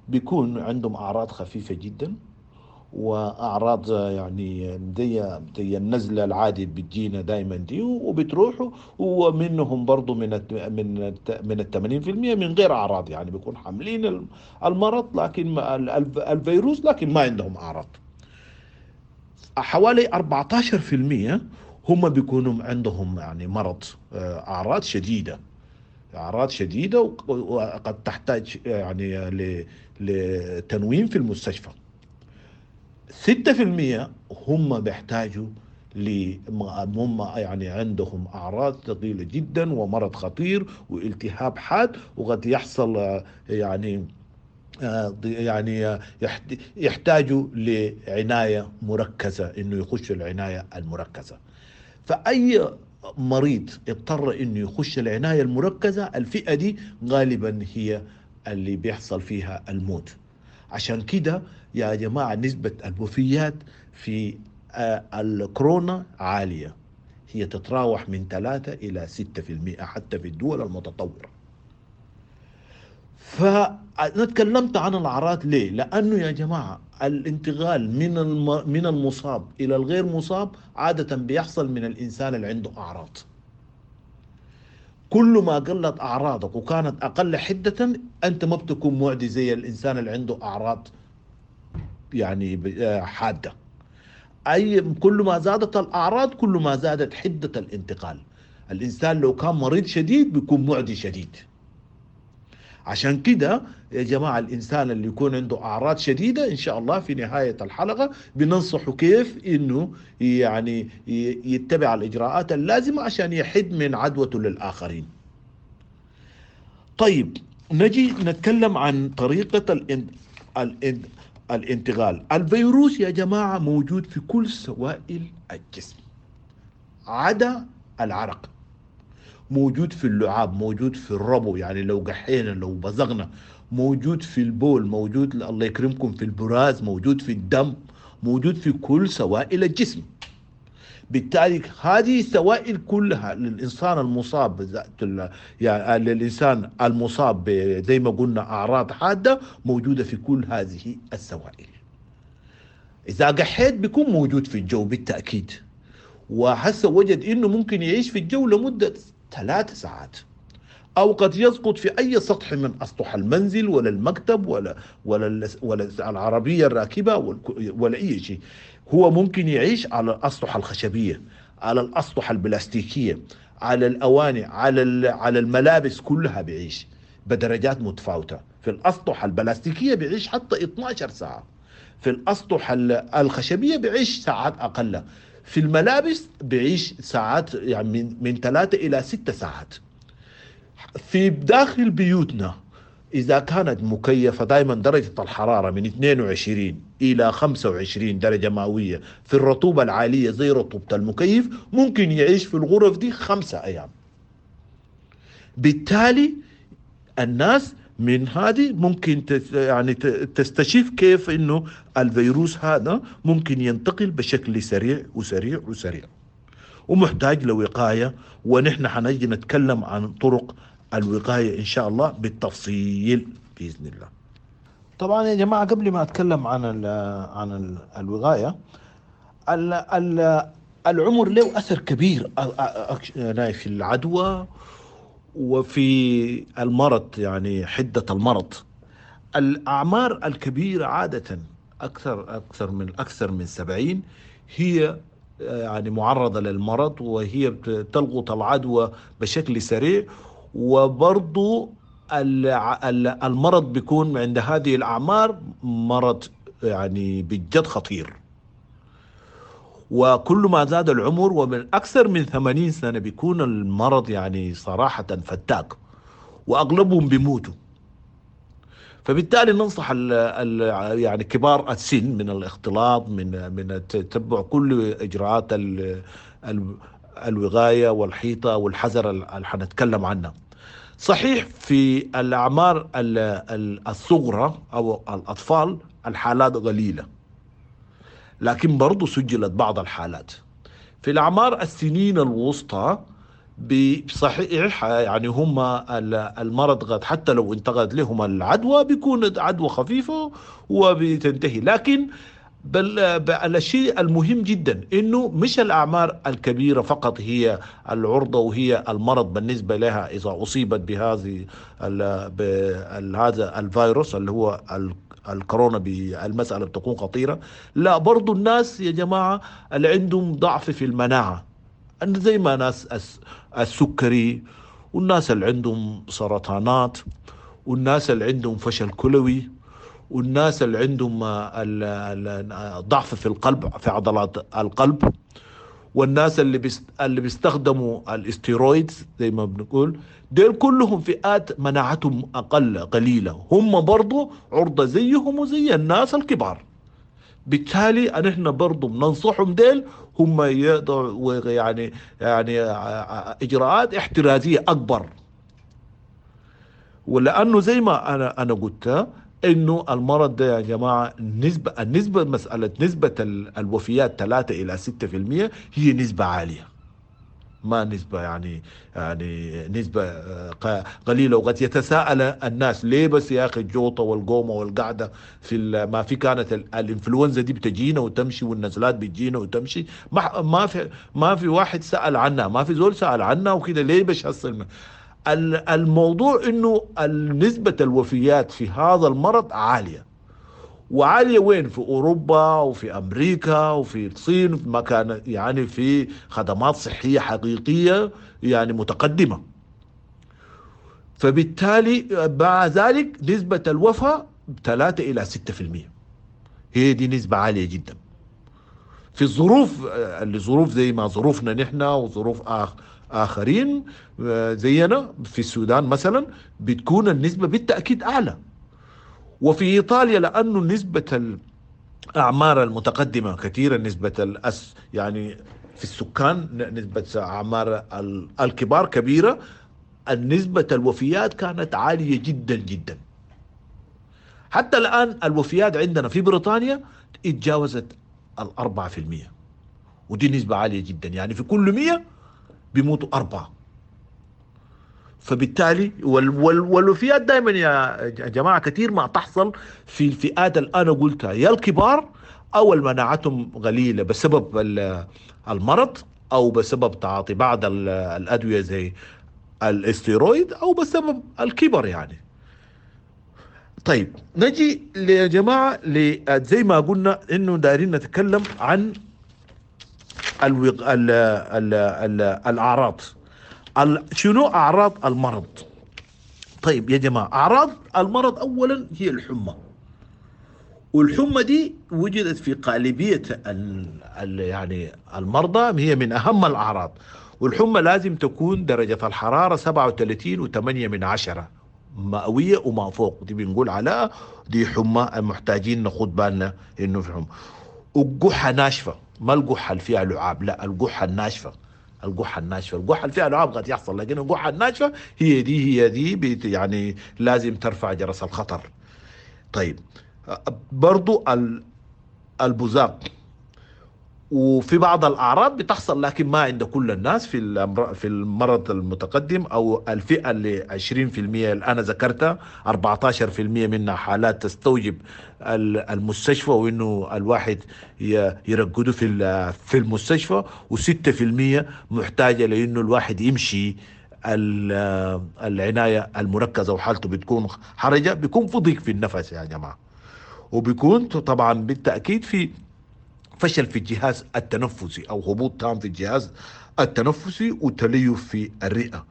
بيكون عندهم أعراض خفيفة جدا، واعراض يعني زي النزله العادي بتجينا دائما دي وبتروح، ومنهم برضو من 80% من غير اعراض، يعني بيكون حاملين المرض لكن الفيروس لكن ما عندهم اعراض. حوالي 14% هم بيكونوا عندهم يعني مرض، اعراض شديدة، اعراض شديدة وقد تحتاج يعني لتنويم في المستشفى. 6% هم بيحتاجوا هم يعني عندهم أعراض ثقيلة جدا ومرض خطير والتهاب حاد، وقد يحصل يعني يحتاجوا لعناية مركزة، إنه يخش العناية المركزة. فأي مريض اضطر إنه يخش العناية المركزة، الفئة دي غالبا هي اللي بيحصل فيها الموت. عشان كده يا جماعة نسبة الوفيات في الكورونا عالية، هي تتراوح من 3 إلى 6% حتى في الدول المتطورة. فأنا تكلمت عن الأعراض ليه؟ لأنه يا جماعة الانتقال من المصاب إلى الغير مصاب عادة بيحصل من الإنسان اللي عنده أعراض. كل ما قلت أعراضك وكانت أقل حدة أنت ما بتكون معدي زي الإنسان اللي عنده أعراض يعني حادة. أي كل ما زادت الأعراض كل ما زادت حدة الانتقال. الإنسان لو كان مريض شديد بيكون معدي شديد. عشان كده يا جماعة الإنسان اللي يكون عنده أعراض شديدة إن شاء الله في نهاية الحلقة بننصحه كيف إنه يعني يتبع الإجراءات اللازمة عشان يحد من عدوته للآخرين. طيب نجي نتكلم عن طريقة الانتقال. الفيروس يا جماعة موجود في كل سوائل الجسم عدا العرق، موجود في اللعاب، موجود في الربو يعني لو قحينا لو بزغنا، موجود في البول، موجود الله يكرمكم في البراز، موجود في الدم، موجود في كل سوائل الجسم. بالتالي هذه السوائل كلها للإنسان المصاب، يعني للإنسان المصاب زي ما قلنا أعراض حادة موجودة في كل هذه السوائل. إذا قحيت بيكون موجود في الجو بالتأكيد، وحس وجد إنه ممكن يعيش في الجو لمدة 3 ساعات، أو قد يسقط في أي سطح من أسطح المنزل ولا المكتب ولا العربية الراكبة ولا أي شيء. هو ممكن يعيش على الأسطح الخشبية، على الأسطح البلاستيكية، على الأواني، على الملابس كلها بيعيش بدرجات متفاوتة. في الأسطح البلاستيكية بيعيش حتى 12 ساعة، في الأسطح الخشبية بيعيش ساعات أقل، في الملابس بيعيش ساعات يعني من 3 إلى 6 ساعات. في داخل بيوتنا إذا كانت مكيفة دائما درجة الحرارة من 22 إلى 25 درجة مئوية، في الرطوبة العالية زي رطوبة المكيف ممكن يعيش في الغرف دي 5 أيام. بالتالي الناس من هذه ممكن يعني تستشف كيف إنه الفيروس هذا ممكن ينتقل بشكل سريع وسريع وسريع، ومحتاج لوقاية. ونحن حنجي نتكلم عن طرق الوقاية إن شاء الله بالتفصيل بإذن الله. طبعا يا جماعة قبل ما أتكلم عن الوقاية، العمر له أثر كبير في العدوى وفي المرض، يعني حدة المرض. الأعمار الكبيرة عادة أكثر من 70 هي يعني معرضة للمرض، وهي تلقط العدوى بشكل سريع. وبرضو المرض بيكون عند هذه الأعمار مرض يعني بجد خطير. وكل ما زاد العمر ومن أكثر من 80 سنة بيكون المرض يعني صراحة فتاك، وأغلبهم بيموتوا. فبالتالي ننصح يعني كبار السن من الاختلاط، من تتبع كل إجراءات الوقاية والحيطة والحذر اللي حنتكلم عنها. صحيح في الأعمار الصغرى أو الأطفال الحالات قليلة، لكن برضو سجلت بعض الحالات. في الأعمار السنين الوسطى بصحيح يعني هم المرض قد حتى لو انتقلت لهم العدوى بيكون عدوى خفيفة وبتنتهي، لكن بل الشيء المهم جدا انه مش الاعمار الكبيرة فقط هي العرضة وهي المرض بالنسبة لها اذا اصيبت بهذه هذا الفيروس اللي هو الكورونا، المسالة بتكون خطيرة. لا، برضو الناس يا جماعة اللي عندهم ضعف في المناعة، زي ما ناس السكري، والناس اللي عندهم سرطانات، والناس اللي عندهم فشل كلوي، والناس اللي عندهم ضعف في القلب، في عضلات القلب، والناس اللي بيستخدموا الاستيرويد زي ما بنقول، ديل كلهم فئات مناعتهم أقل قليلة، هم برضو عرضة زيهم وزي الناس الكبار. بالتالي نحن برضو بننصحهم ديل هم يقدروا يعني إجراءات احترازية أكبر، ولأنه زي ما أنا قلت انه المرض ده يا جماعة النسبة مسالة نسبه الوفيات 3 الى 6% هي نسبه عالية، ما نسبه يعني نسبه قليله. وقد يتساءل الناس ليه بس يا اخي الجوطه والقومه والقعده في ما في كانت الانفلونزا دي بتجينا وتمشي، والنزلات بتجينا وتمشي، ما في واحد سال عنها، ما في زول سال عنها وكده، ليه بس هسه الموضوع انه نسبة الوفيات في هذا المرض عالية، وعالية وين؟ في اوروبا وفي امريكا وفي الصين، في مكان يعني في خدمات صحية حقيقية يعني متقدمة. فبالتالي مع ذلك نسبة الوفاة 3 الى 6%، هي دي نسبة عالية جدا في الظروف اللي ظروف زي ما ظروفنا نحن وظروف آخرين زينا في السودان مثلا، بتكون النسبة بالتأكيد أعلى. وفي إيطاليا لأنه نسبة الأعمار المتقدمة كثيرا، نسبة يعني في السكان نسبة أعمار الكبار كبيرة، النسبة الوفيات كانت عالية جدا جدا. حتى الآن الوفيات عندنا في بريطانيا اتجاوزت 4%، ودي نسبة عالية جدا، يعني في كل 100 بيموتوا 4. فبالتالي والوفيات دائما يا جماعة كثير ما تحصل في الفئات اللي أنا قلتها، يا الكبار أو مناعتهم قليلة بسبب المرض، أو بسبب تعاطي بعض الأدوية زي الاستيرويد، أو بسبب الكبر يعني. طيب نجي يا جماعة زي ما قلنا إنه دايرين نتكلم عن الأعراض. شنو أعراض المرض؟ طيب يا جماعة، أعراض المرض أولا هي الحمى، والحمى دي وجدت في غالبية يعني المرضى، هي من أهم الأعراض. والحمى لازم تكون درجة الحرارة 37.8 مئوية وما فوق، دي بنقول على دي حمى محتاجين ناخد بالنا إنه في حمى. والقحة ناشفة، ما القحة اللي فيها لعاب، لا القحة الناشفة، القحة الناشفة، القحة اللي فيها لعاب قد يحصل، لكن القحة الناشفة هي دي يعني لازم ترفع جرس الخطر. طيب برضو البزاق، وفي بعض الأعراض بتحصل لكن ما عند كل الناس في المرض المتقدم، أو الفئة اللي 20% اللي أنا ذكرتها، 14% منها حالات تستوجب المستشفى وإنه الواحد يرقده في المستشفى، و6% محتاجة لإنه الواحد يمشي العناية المركزة وحالته بتكون حرجة، بيكون في ضيق في النفس يا جماعة، وبيكون طبعا بالتأكيد في فشل في الجهاز التنفسي أو هبوط تام في الجهاز التنفسي وتليف في الرئة.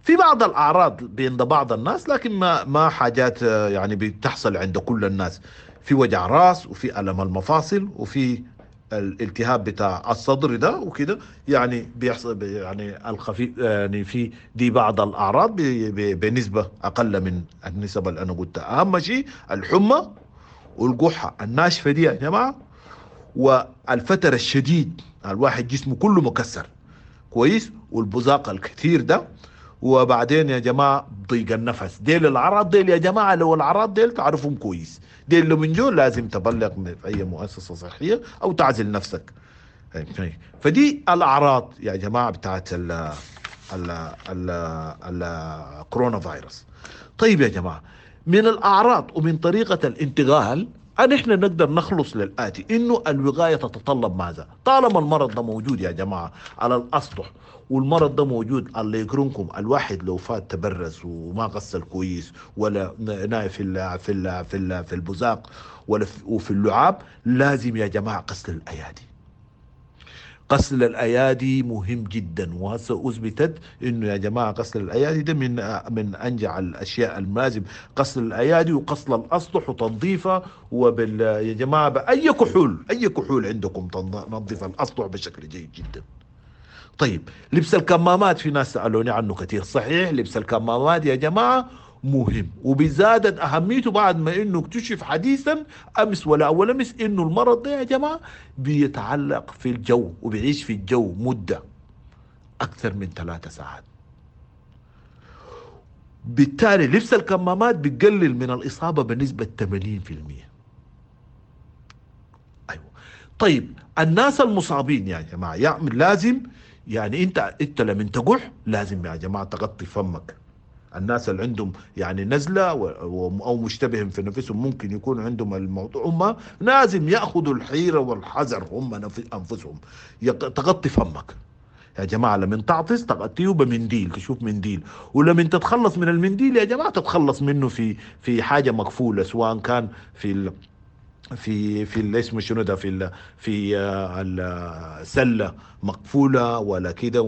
في بعض الأعراض بين بعض الناس، لكن ما حاجات يعني بتحصل عند كل الناس، في وجع راس وفي ألم المفاصل وفي الالتهاب بتاع الصدر ده وكده، يعني بيحصل يعني الخفيف، يعني في دي بعض الأعراض بنسبة أقل من النسب اللي أنا قلتها. أهم شيء الحمى والقحة الناشفة دي يا جماعة، والفتر الشديد، الواحد جسمه كله مكسر كويس، والبزاق الكثير ده، وبعدين يا جماعة ضيق النفس. ديل الأعراض ديل يا جماعة، لو الأعراض ديل تعرفهم كويس، ديل لو من جول لازم تبلغ في أي مؤسسة صحية أو تعزل نفسك. فدي الأعراض يا جماعة بتاعت ال ال ال الكورونا فيروس. طيب يا جماعة، من الأعراض ومن طريقة الانتقال، نحن نقدر نخلص للآتي، إنه الوقاية تتطلب ماذا؟ طالما المرض ده موجود يا جماعة على الأسطح، والمرض ده موجود الله يكرمكم، الواحد لو فات تبرز وما غسل كويس ولا نايف في ال في ال في ال في البزاق ولا وفي اللعاب، لازم يا جماعة غسل الأيادي. غسل الايادي مهم جدا، وهسه اثبتت انه يا جماعة غسل الايادي ده من انجع الاشياء اللازم، غسل الايادي وغسل الاسطح وتنظيفها، وبال يا جماعة باي كحول، اي كحول عندكم تنظف الاسطح بشكل جيد جدا. طيب لبس الكمامات، في ناس سالوني عنه كثير، صحيح لبس الكمامات يا جماعة مهم، وبزادت اهميته بعد ما انه اكتشف حديثا امس ولا اول امس انه المرض ده يا جماعة بيتعلق في الجو وبيعيش في الجو مده اكثر من 3 ساعات. بالتالي لبس الكمامات بيقلل من الاصابة بنسبة 80%. ايوه. طيب الناس المصابين يا جماعة يعمل لازم، يعني انت لما تقح لازم يا جماعة تغطي فمك. الناس اللي عندهم يعني نزلة أو مشتبه في نفسهم ممكن يكون عندهم الموضوع، هم لازم يأخذوا الحيرة والحذر هم أنفسهم. تغطي فمك يا جماعة، لما تعطس تغطيه بمنديل، تشوف منديل، ولما تتخلص من المنديل يا جماعة تتخلص منه في حاجة مقفولة، سواء كان في في في الاسم شنو ده، في في السلة مقفولة ولا كده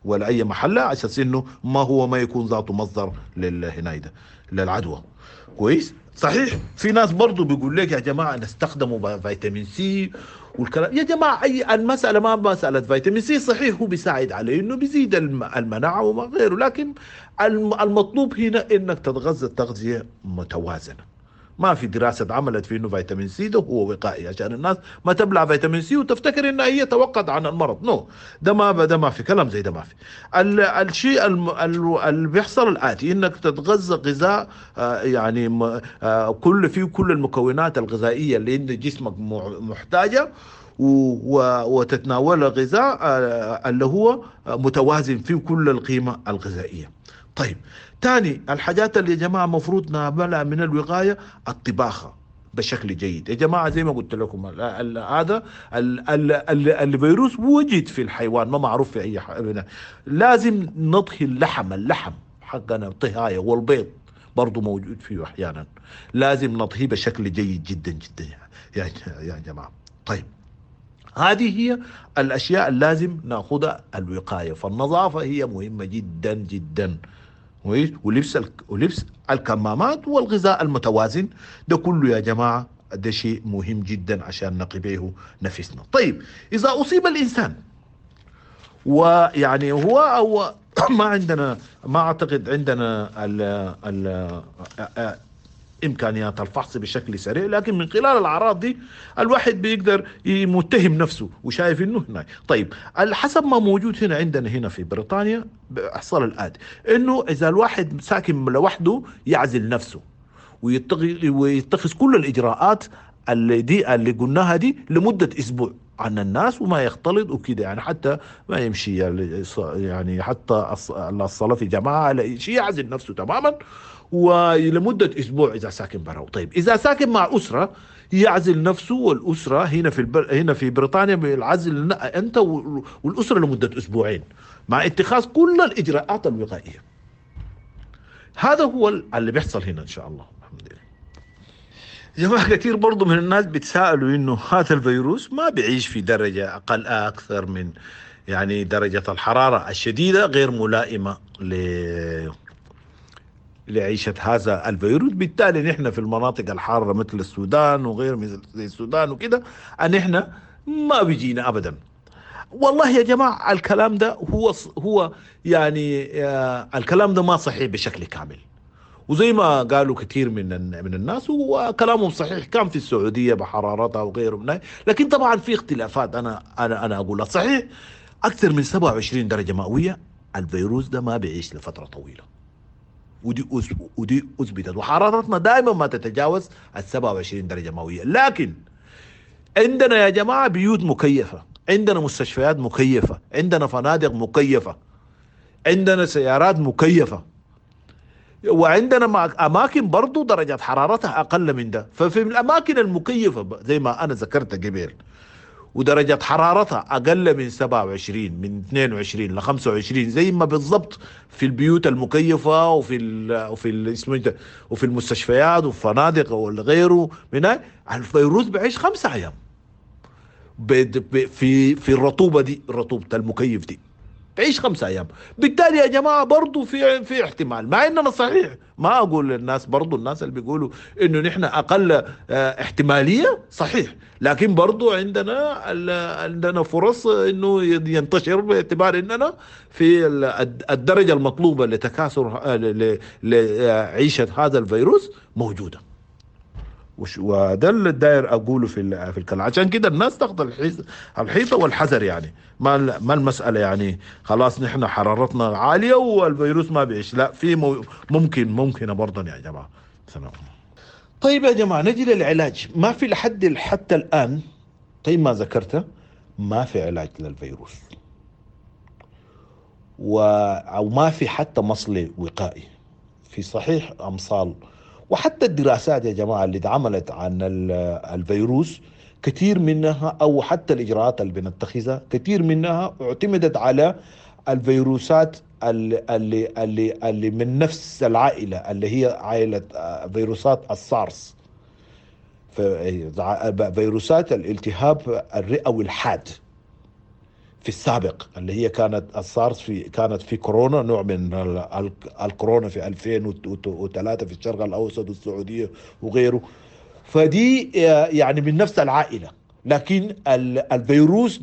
ولا اي محله، عشان انه ما هو ما يكون ذاته مصدر للهنايده للعدوى. كويس. صحيح في ناس برضو بيقول لك يا جماعة نستخدموا فيتامين سي والكلام، يا جماعة اي المسالة ما مسالة فيتامين سي، صحيح هو بيساعد عليه انه بيزيد المناعة وما غيره، لكن المطلوب هنا انك تتغذى تغذية متوازنة. ما في دراسة عملت في انه فيتامين سي ده هو وقائي عشان الناس ما تبلع فيتامين سي وتفتكر انها هي توقت عن المرض، no، ده ما في كلام زي ده، ما في. الشيء اللي بيحصل الآتي، انك تتغذى غذاء يعني كل فيه كل المكونات الغذائية اللي انت جسمك محتاجة، وتتناول غذاء اللي هو متوازن فيه كل القيمة الغذائية. طيب تاني الحاجات اللي يا جماعة مفروض نعملها من الوقاية، الطباخة بشكل جيد يا جماعة. زي ما قلت لكم هذا الفيروس وجد في الحيوان، ما معروف في أي حاجة. لازم نطهي اللحم حقنا طهاية، والبيض برضو موجود فيه أحيانا، لازم نطهيه بشكل جيد جدا جدا يا جماعة. طيب هذه هي الأشياء اللازم نأخذها الوقاية. فالنظافة هي مهمة جدا جدا، ولبس الكمامات والغذاء المتوازن، ده كله يا جماعة ده شيء مهم جدا عشان نقي به نفسنا. طيب إذا أصيب الإنسان، ويعني هو أو ما عندنا، ما أعتقد عندنا ال ال إمكانيات الفحص بشكل سريع، لكن من خلال الأعراض دي الواحد بيقدر متهم نفسه وشايف إنه هنا. طيب حسب ما موجود هنا عندنا هنا في بريطانيا حصل الآتي، إنه إذا الواحد ساكن لوحده يعزل نفسه ويتخذ كل الإجراءات اللي قلناها دي لمدة أسبوع عن الناس، وما يختلط وكده، يعني حتى ما يمشي، يعني حتى الصلاة في جماعة على شيء، يعزل نفسه تماما ولمدة أسبوع إذا ساكن برا. طيب إذا ساكن مع أسرة يعزل نفسه والأسرة، هنا في هنا في بريطانيا بالعزل أنت والأسرة لمدة أسبوعين مع اتخاذ كل الإجراءات الوقائية. هذا هو اللي بيحصل هنا إن شاء الله. الحمد لله. جماعة كثير برضو من الناس بيتساءلوا إنه هذا الفيروس ما بيعيش في درجة أقل أكثر من يعني درجة الحرارة الشديدة، غير ملائمة لعيشة هذا الفيروس. بالتالي نحن في المناطق الحارة مثل السودان وغير مثل السودان وكده، نحن ما بيجينا أبدا. والله يا جماعة الكلام ده هو يعني الكلام ده ما صحيح بشكل كامل، وزي ما قالوا كثير من الناس وكلامهم صحيح، كان في السعودية بحرارتها وغيره من، لكن طبعا في اختلافات. أنا أقول صحيح أكثر من 27 درجة مئوية الفيروس ده ما بيعيش لفترة طويلة، ودي أثبتت، وحرارتنا دائما ما تتجاوز ال 27 درجة مئوية. لكن عندنا يا جماعة بيوت مكيفة، عندنا مستشفيات مكيفة، عندنا فنادق مكيفة، عندنا سيارات مكيفة. وعندنا اماكن برضو درجات حرارتها اقل من ده. ففي الاماكن المكيفه زي ما انا ذكرت قبل ودرجة حرارتها أقل من 27، من 22 ل 25 زي ما بالضبط في البيوت المكيفة وفي ال وفي ال اسمه ده، وفي المستشفيات والفنادق وغيره من هاي، الفيروس بيعيش 5 أيام في الرطوبة دي، رطوبة المكيف دي تعيش 5 أيام. بالتالي يا جماعة برضو في احتمال، مع إننا صحيح ما أقول للناس، برضو الناس اللي بيقولوا إنه نحن أقل احتمالية صحيح، لكن برضو عندنا فرص إنه ينتشر باعتبار إننا في الدرجة المطلوبة لتكاثر لعيشة هذا الفيروس موجودة. وده اللي داير اقوله في الكلام. عشان كده الناس تاخذ الحيطة والحذر، يعني ما المسالة يعني خلاص نحن حرارتنا عالية والفيروس ما بيعيش، لا، في ممكن برضه يا جماعة. سلام. طيب يا جماعة نجي للعلاج. ما في لحد حتى الان، طيب ما ذكرته، ما في علاج للفيروس او ما في حتى مصل وقائي. في صحيح امصال، وحتى الدراسات يا جماعة اللي اتعملت عن الفيروس كثير منها، أو حتى الإجراءات اللي بنتخذها كثير منها اعتمدت على الفيروسات اللي من نفس العائلة، اللي هي عائلة فيروسات السارس، فيروسات الالتهاب الرئوي الحاد في السابق، اللي هي كانت السارس كانت في كورونا، نوع من الكورونا في 2003 في الشرق الأوسط والسعودية وغيره. فدي يعني من نفس العائلة، لكن الفيروس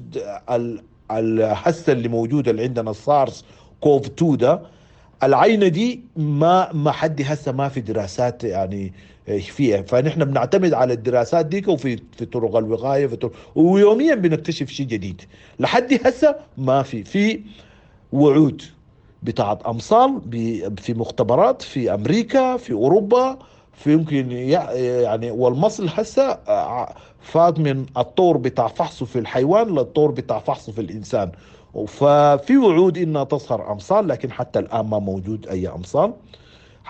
الهسه اللي موجود اللي عندنا السارس كوف 2 ده، العينة دي ما حد هسه ما في دراسات يعني فيها، فنحن بنعتمد على الدراسات ديك وفي في طرق الوقاية في طرق، ويوميا بنكتشف شيء جديد. لحد هسه ما في وعود بتاعت امصال في مختبرات في امريكا، في اوروبا، في يمكن يعني. والمصل هسه فات من الطور بتاع فحصه في الحيوان للطور بتاع فحصه في الانسان، ففي وعود انها تظهر امصال، لكن حتى الان ما موجود اي امصال،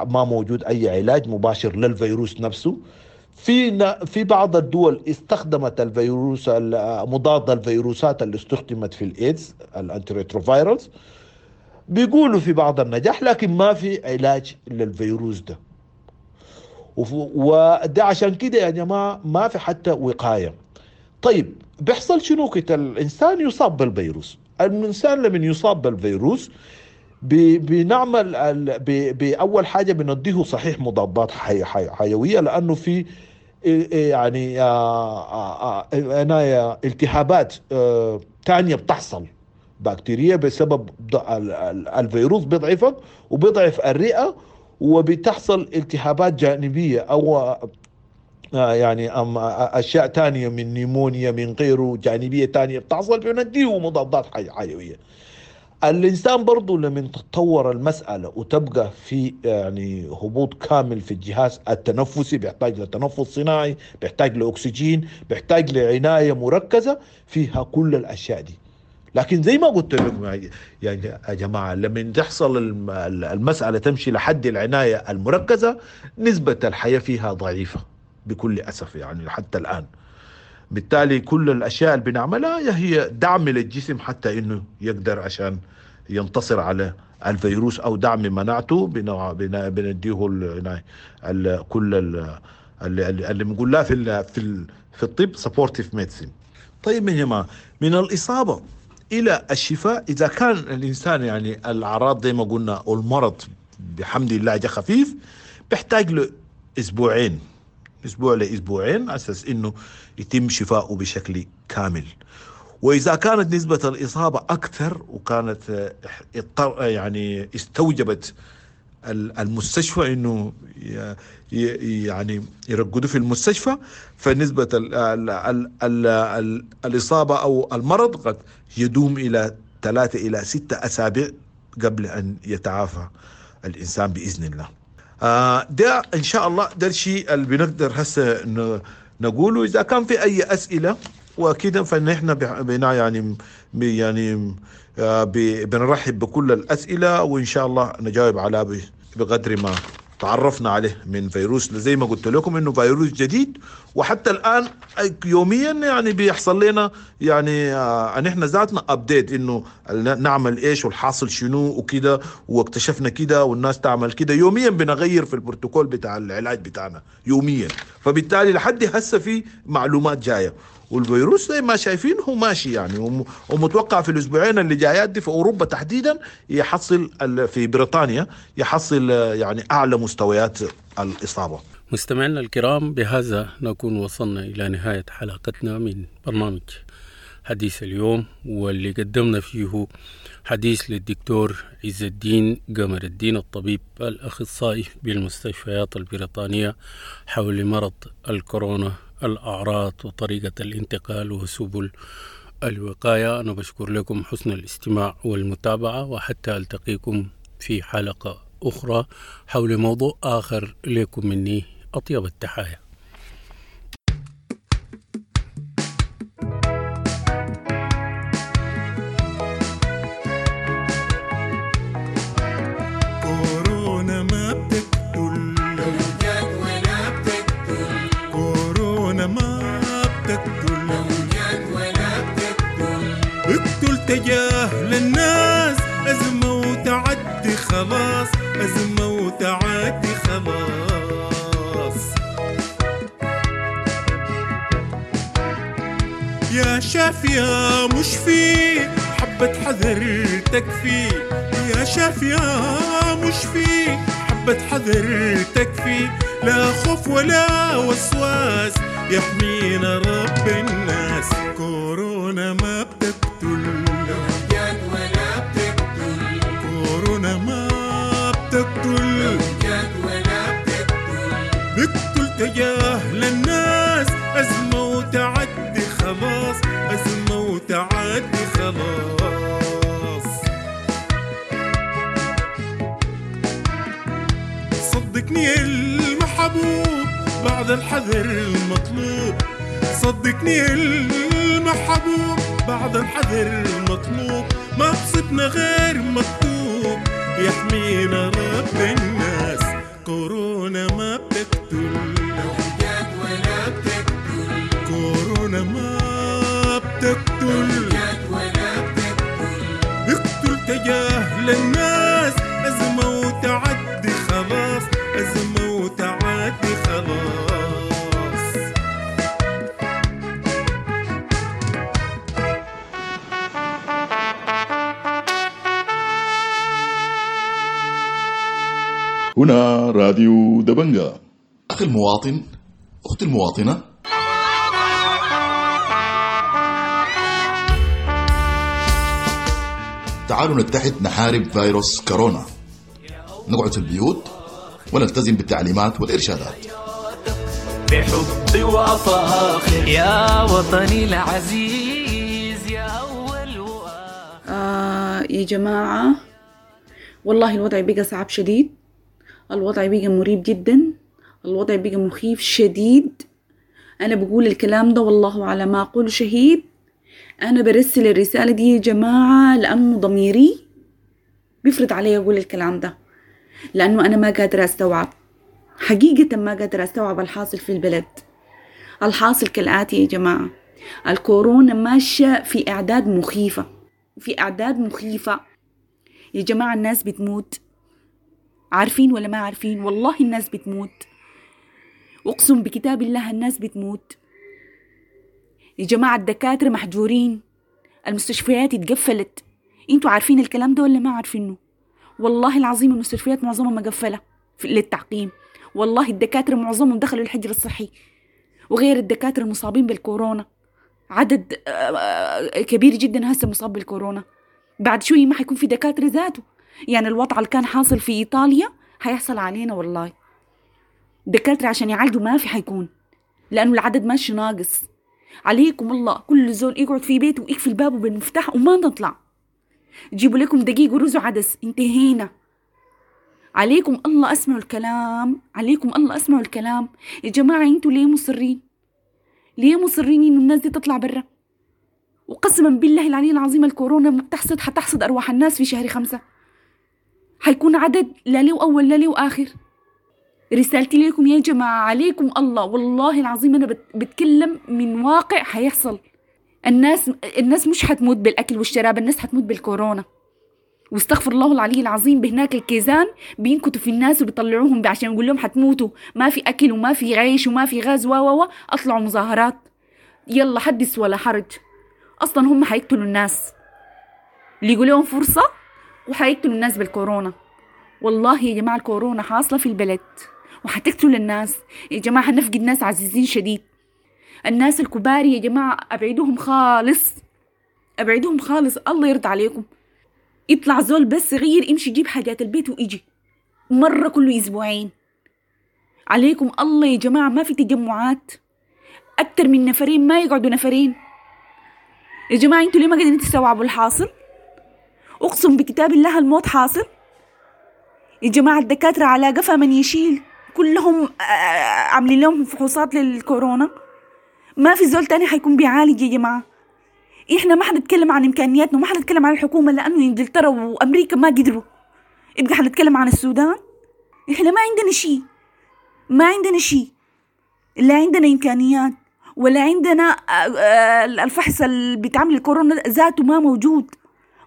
ما موجود اي علاج مباشر للفيروس نفسه. في بعض الدول استخدمت الفيروس مضاد الفيروسات اللي استخدمت في الايدز، ال antiretrovirals، بيقولوا في بعض النجاح، لكن ما في علاج للفيروس ده. وده عشان كده يا جماعة ما في حتى وقاية. طيب بيحصل شنو كده؟ الانسان يصاب بالفيروس. الانسان لما يصاب بالفيروس بنعمل بأول حاجة بنديه صحيح مضادات حيوية، لأنه في يعني التهابات تانية بتحصل بكتيريا بسبب الفيروس، بيضعفك وبيضعف الرئة، وبتحصل التهابات جانبية أو يعني أشياء تانية من نيمونيا من غيره جانبية تانية بتحصل، بنديه مضادات حيوية. الإنسان برضو لما تتطور المسألة وتبقى في يعني هبوط كامل في الجهاز التنفسي، بيحتاج لتنفس صناعي، بيحتاج لأكسجين، بيحتاج لعناية مركزة فيها كل الأشياء دي. لكن زي ما قلت لكم يا جماعة، لما تحصل المسألة تمشي لحد العناية المركزة، نسبة الحياة فيها ضعيفة بكل أسف يعني حتى الآن. بالتالي كل الأشياء اللي بنعملها هي دعم للجسم حتى إنه يقدر عشان ينتصر على الفيروس، أو دعم مناعته، بنديه كل اللي بنقول لها في الطب supportive medicine. طيب يا جماعة، من الإصابة إلى الشفاء، إذا كان الإنسان يعني الأعراض زي ما قلنا والمرض بحمد الله جاء خفيف، بيحتاج له أسبوعين، أسبوع لأسبوعين، أساس إنه يتم شفاؤه بشكل كامل. وإذا كانت نسبة الإصابة أكثر وكانت يعني استوجبت المستشفى إنه يعني يرقدوا في المستشفى، فنسبة ال ال ال ال الإصابة أو المرض قد يدوم إلى 3 إلى 6 أسابيع قبل أن يتعافى الإنسان بإذن الله. ده إن شاء الله ده الشيء اللي بنقدر هسه نقوله. إذا كان في أي أسئلة وكده فنحن بنا يعني بنرحب بكل الأسئلة، وإن شاء الله نجاوب على بقدر ما تعرفنا عليه من فيروس، زي ما قلت لكم انه فيروس جديد، وحتى الان يوميا يعني بيحصل لنا يعني نحن ذاتنا update انه نعمل ايش والحاصل شنو وكده، واكتشفنا كده والناس تعمل كده. يوميا بنغير في البروتوكول بتاع العلاج بتاعنا يوميا، فبالتالي لحد هسه في معلومات جاية. والفيروس زي ما شايفين هو ماشي يعني، ومتوقع في الاسبوعين اللي جايات دي في اوروبا تحديدا يحصل، في بريطانيا يحصل يعني اعلى مستويات الاصابة. مستمعينا الكرام، بهذا نكون وصلنا الى نهاية حلقتنا من برنامج حديث اليوم، واللي قدمنا فيه حديث للدكتور عز الدين قمر الدين الطبيب الأخصائي بالمستشفيات البريطانية حول مرض الكورونا، الأعراض وطريقة الانتقال وسبل الوقاية. أنا بشكر لكم حسن الاستماع والمتابعة، وحتى ألتقيكم في حلقة أخرى حول موضوع آخر. لكم مني أطيب التحايا. كورونا ما بتقتل لو جات ولا بتقتل، كورونا ما بتقتل لو جات ولا بتقتل، اقتل تجاهل الناس، أزمة وتعدي خلاص، أزمة وتعدي خلاص. يا شاف يا مشفي حبة حذر تكفي، يا شاف يا مشفي حبة حذر تكفي، لا خوف ولا وسواس يحمينا رب الناس. كورونا ما بتقتل لو جات ولا بتقتل، كورونا ما بتقتل لو جات ولا بتقتل، بتقتل تجاهل الناس، أزمة وتعدي خلاص، أزمة وتعدي خلاص. صدقني المحبوب بعد الحذر المطلوب، صدقني المحبوب بعد الحذر المطلوب، ما بصبنا غير مكتوب يحمينا رب الناس. كورونا ما بتقتل لو جات ولا بتقتل، كورونا ما بتقتل لو جات ولا بتقتل، بتقتل تجاهل الناس، أزمة وتعدي خلاص، أزمة وتعدي خلاص. هنا راديو دبنجا. أخي المواطن، أختي المواطنة، تعالوا نتحد نحارب فيروس كورونا، نقعد في البيوت ونلتزم بالتعليمات والإرشادات. بحب وفاخر يا وطني العزيز يا أول وآخر. يا جماعة والله الوضع بقى صعب شديد، الوضع بقى مريب جدا، الوضع بقى مخيف شديد. أنا بقول الكلام ده والله على ما أقول شهيد. أنا برسل الرسالة دي يا جماعة لأنه ضميري بيفرض علي أقول الكلام ده، لأنه أنا ما قادرة أستوعب حقيقة، ما قادرة أستوعب الحاصل في البلد. الحاصل كالآتي يا جماعة، الكورونا ماشية في أعداد مخيفة، في أعداد مخيفة يا جماعة. الناس بتموت، عارفين ولا ما عارفين؟ والله الناس بتموت، أقسم بكتاب الله الناس بتموت يا جماعة. الدكاترة محجورين، المستشفيات اتقفلت. انتوا عارفين الكلام ده ولا ما عارفينه؟ والله العظيم المستشفيات معظمها مقفلة للتعقيم، والله الدكاترة معظمهم دخلوا الحجر الصحي، وغير الدكاترة المصابين بالكورونا عدد كبير جدا هسه مصاب بالكورونا. بعد شوي ما حيكون في دكاترة ذاته. يعني الوضع اللي كان حاصل في إيطاليا حيحصل علينا والله. دكاترة عشان يعالجوا ما في حيكون، لأنه العدد ماشي ناقص. عليكم الله كل زول يقعد في بيته ويقفل بابه بالمفتاح وما نطلع. جيبوا لكم دقيق ورز وعدس، انتهينا. عليكم الله اسمعوا الكلام، عليكم الله اسمعوا الكلام يا جماعة. انتوا ليه مصرين؟ ليه مصرين انه الناس دي تطلع برا؟ وقسما بالله العلي العظيم الكورونا ما بتحصد، حتحصد ارواح الناس في شهر 5. حيكون عدد لا له اول لا له اخر. رسالتي لكم يا جماعة، عليكم الله، والله العظيم أنا بتكلم من واقع حيحصل. الناس مش حتموت بالأكل والشراب، الناس حتموت بالكورونا. واستغفر الله العلي العظيم، بهناك الكيزان بينكتوا في الناس وبيطلعوهم عشان يقول لهم حتموتوا، ما في أكل وما في عيش وما في غاز و و و أطلعوا مظاهرات، يلا حدث ولا حرج. أصلا هم حيقتلوا الناس، اللي يقول لهم فرصة وحيقتلوا الناس بالكورونا. والله يا جماعة الكورونا حاصلة في البلد وحتقتل الناس يا جماعة، حنفقد ناس عزيزين شديد. الناس الكبار يا جماعة أبعدوهم خالص، أبعدوهم خالص، الله يرضى عليكم. يطلع زول بس صغير يمشي يجيب حاجات البيت ويجي مرة كل أسبوعين. عليكم الله يا جماعة ما في تجمعات أكتر من نفرين، ما يقعدوا نفرين يا جماعة. انتوا ليه ما قادرين تستوعبوا الحاصل؟ أقسم بكتاب الله الموت حاصل يا جماعة. الدكاترة على قفا من يشيل، كلهم عاملين لهم فحوصات للكورونا، ما في زول تاني حيكون بيعالج يا جماعة. احنا ما حنتكلم عن امكانياتنا وما حنتكلم عن الحكومة لانه انجلترا وامريكا ما قدروا، يبقى حنتكلم عن السودان. احنا ما عندنا شيء، ما عندنا شيء، لا عندنا امكانيات ولا عندنا الفحص اللي بيتعمل الكورونا ذاته ما موجود،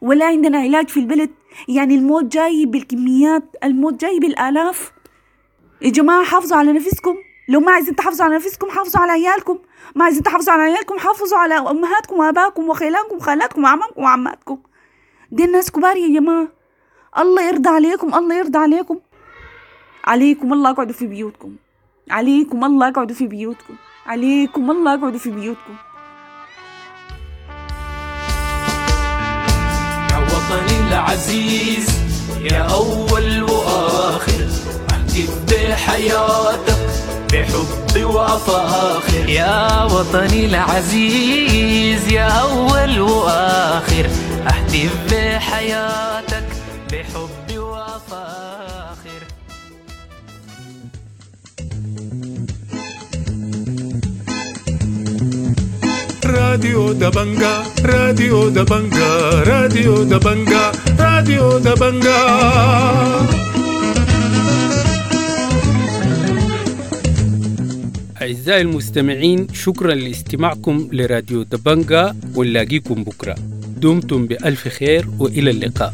ولا عندنا علاج في البلد. يعني الموت جاي بالكميات، الموت جاي بالالاف يا جماعة. حافظوا على نفسكم، لو ما عايزين تحافظوا على نفسكم حافظوا على عيالكم، ما عايزين تحافظوا على عيالكم حافظوا على امهاتكم واباكم وخيلانكم وخالاتكم وعمامكم وعماتكم. دي الناس كبار يا جماعة، الله يرضى عليكم، الله يرضى عليكم. عليكم الله اقعدوا في بيوتكم، عليكم الله اقعدوا في بيوتكم، عليكم الله اقعدوا في بيوتكم. يا وطني العزيز يا أول وآخر، أهتف بحياتك بحب وأفاخر. يا وطني العزيز يا أول وآخر، أهتف بحياتك بحب وأفاخر. راديو دبنجا، راديو دبنجا، راديو دبنجا، راديو دبنجا. أعزائي المستمعين، شكرا لاستماعكم لراديو دبنجا، ونلاقيكم بكرة. دمتم بألف خير وإلى اللقاء.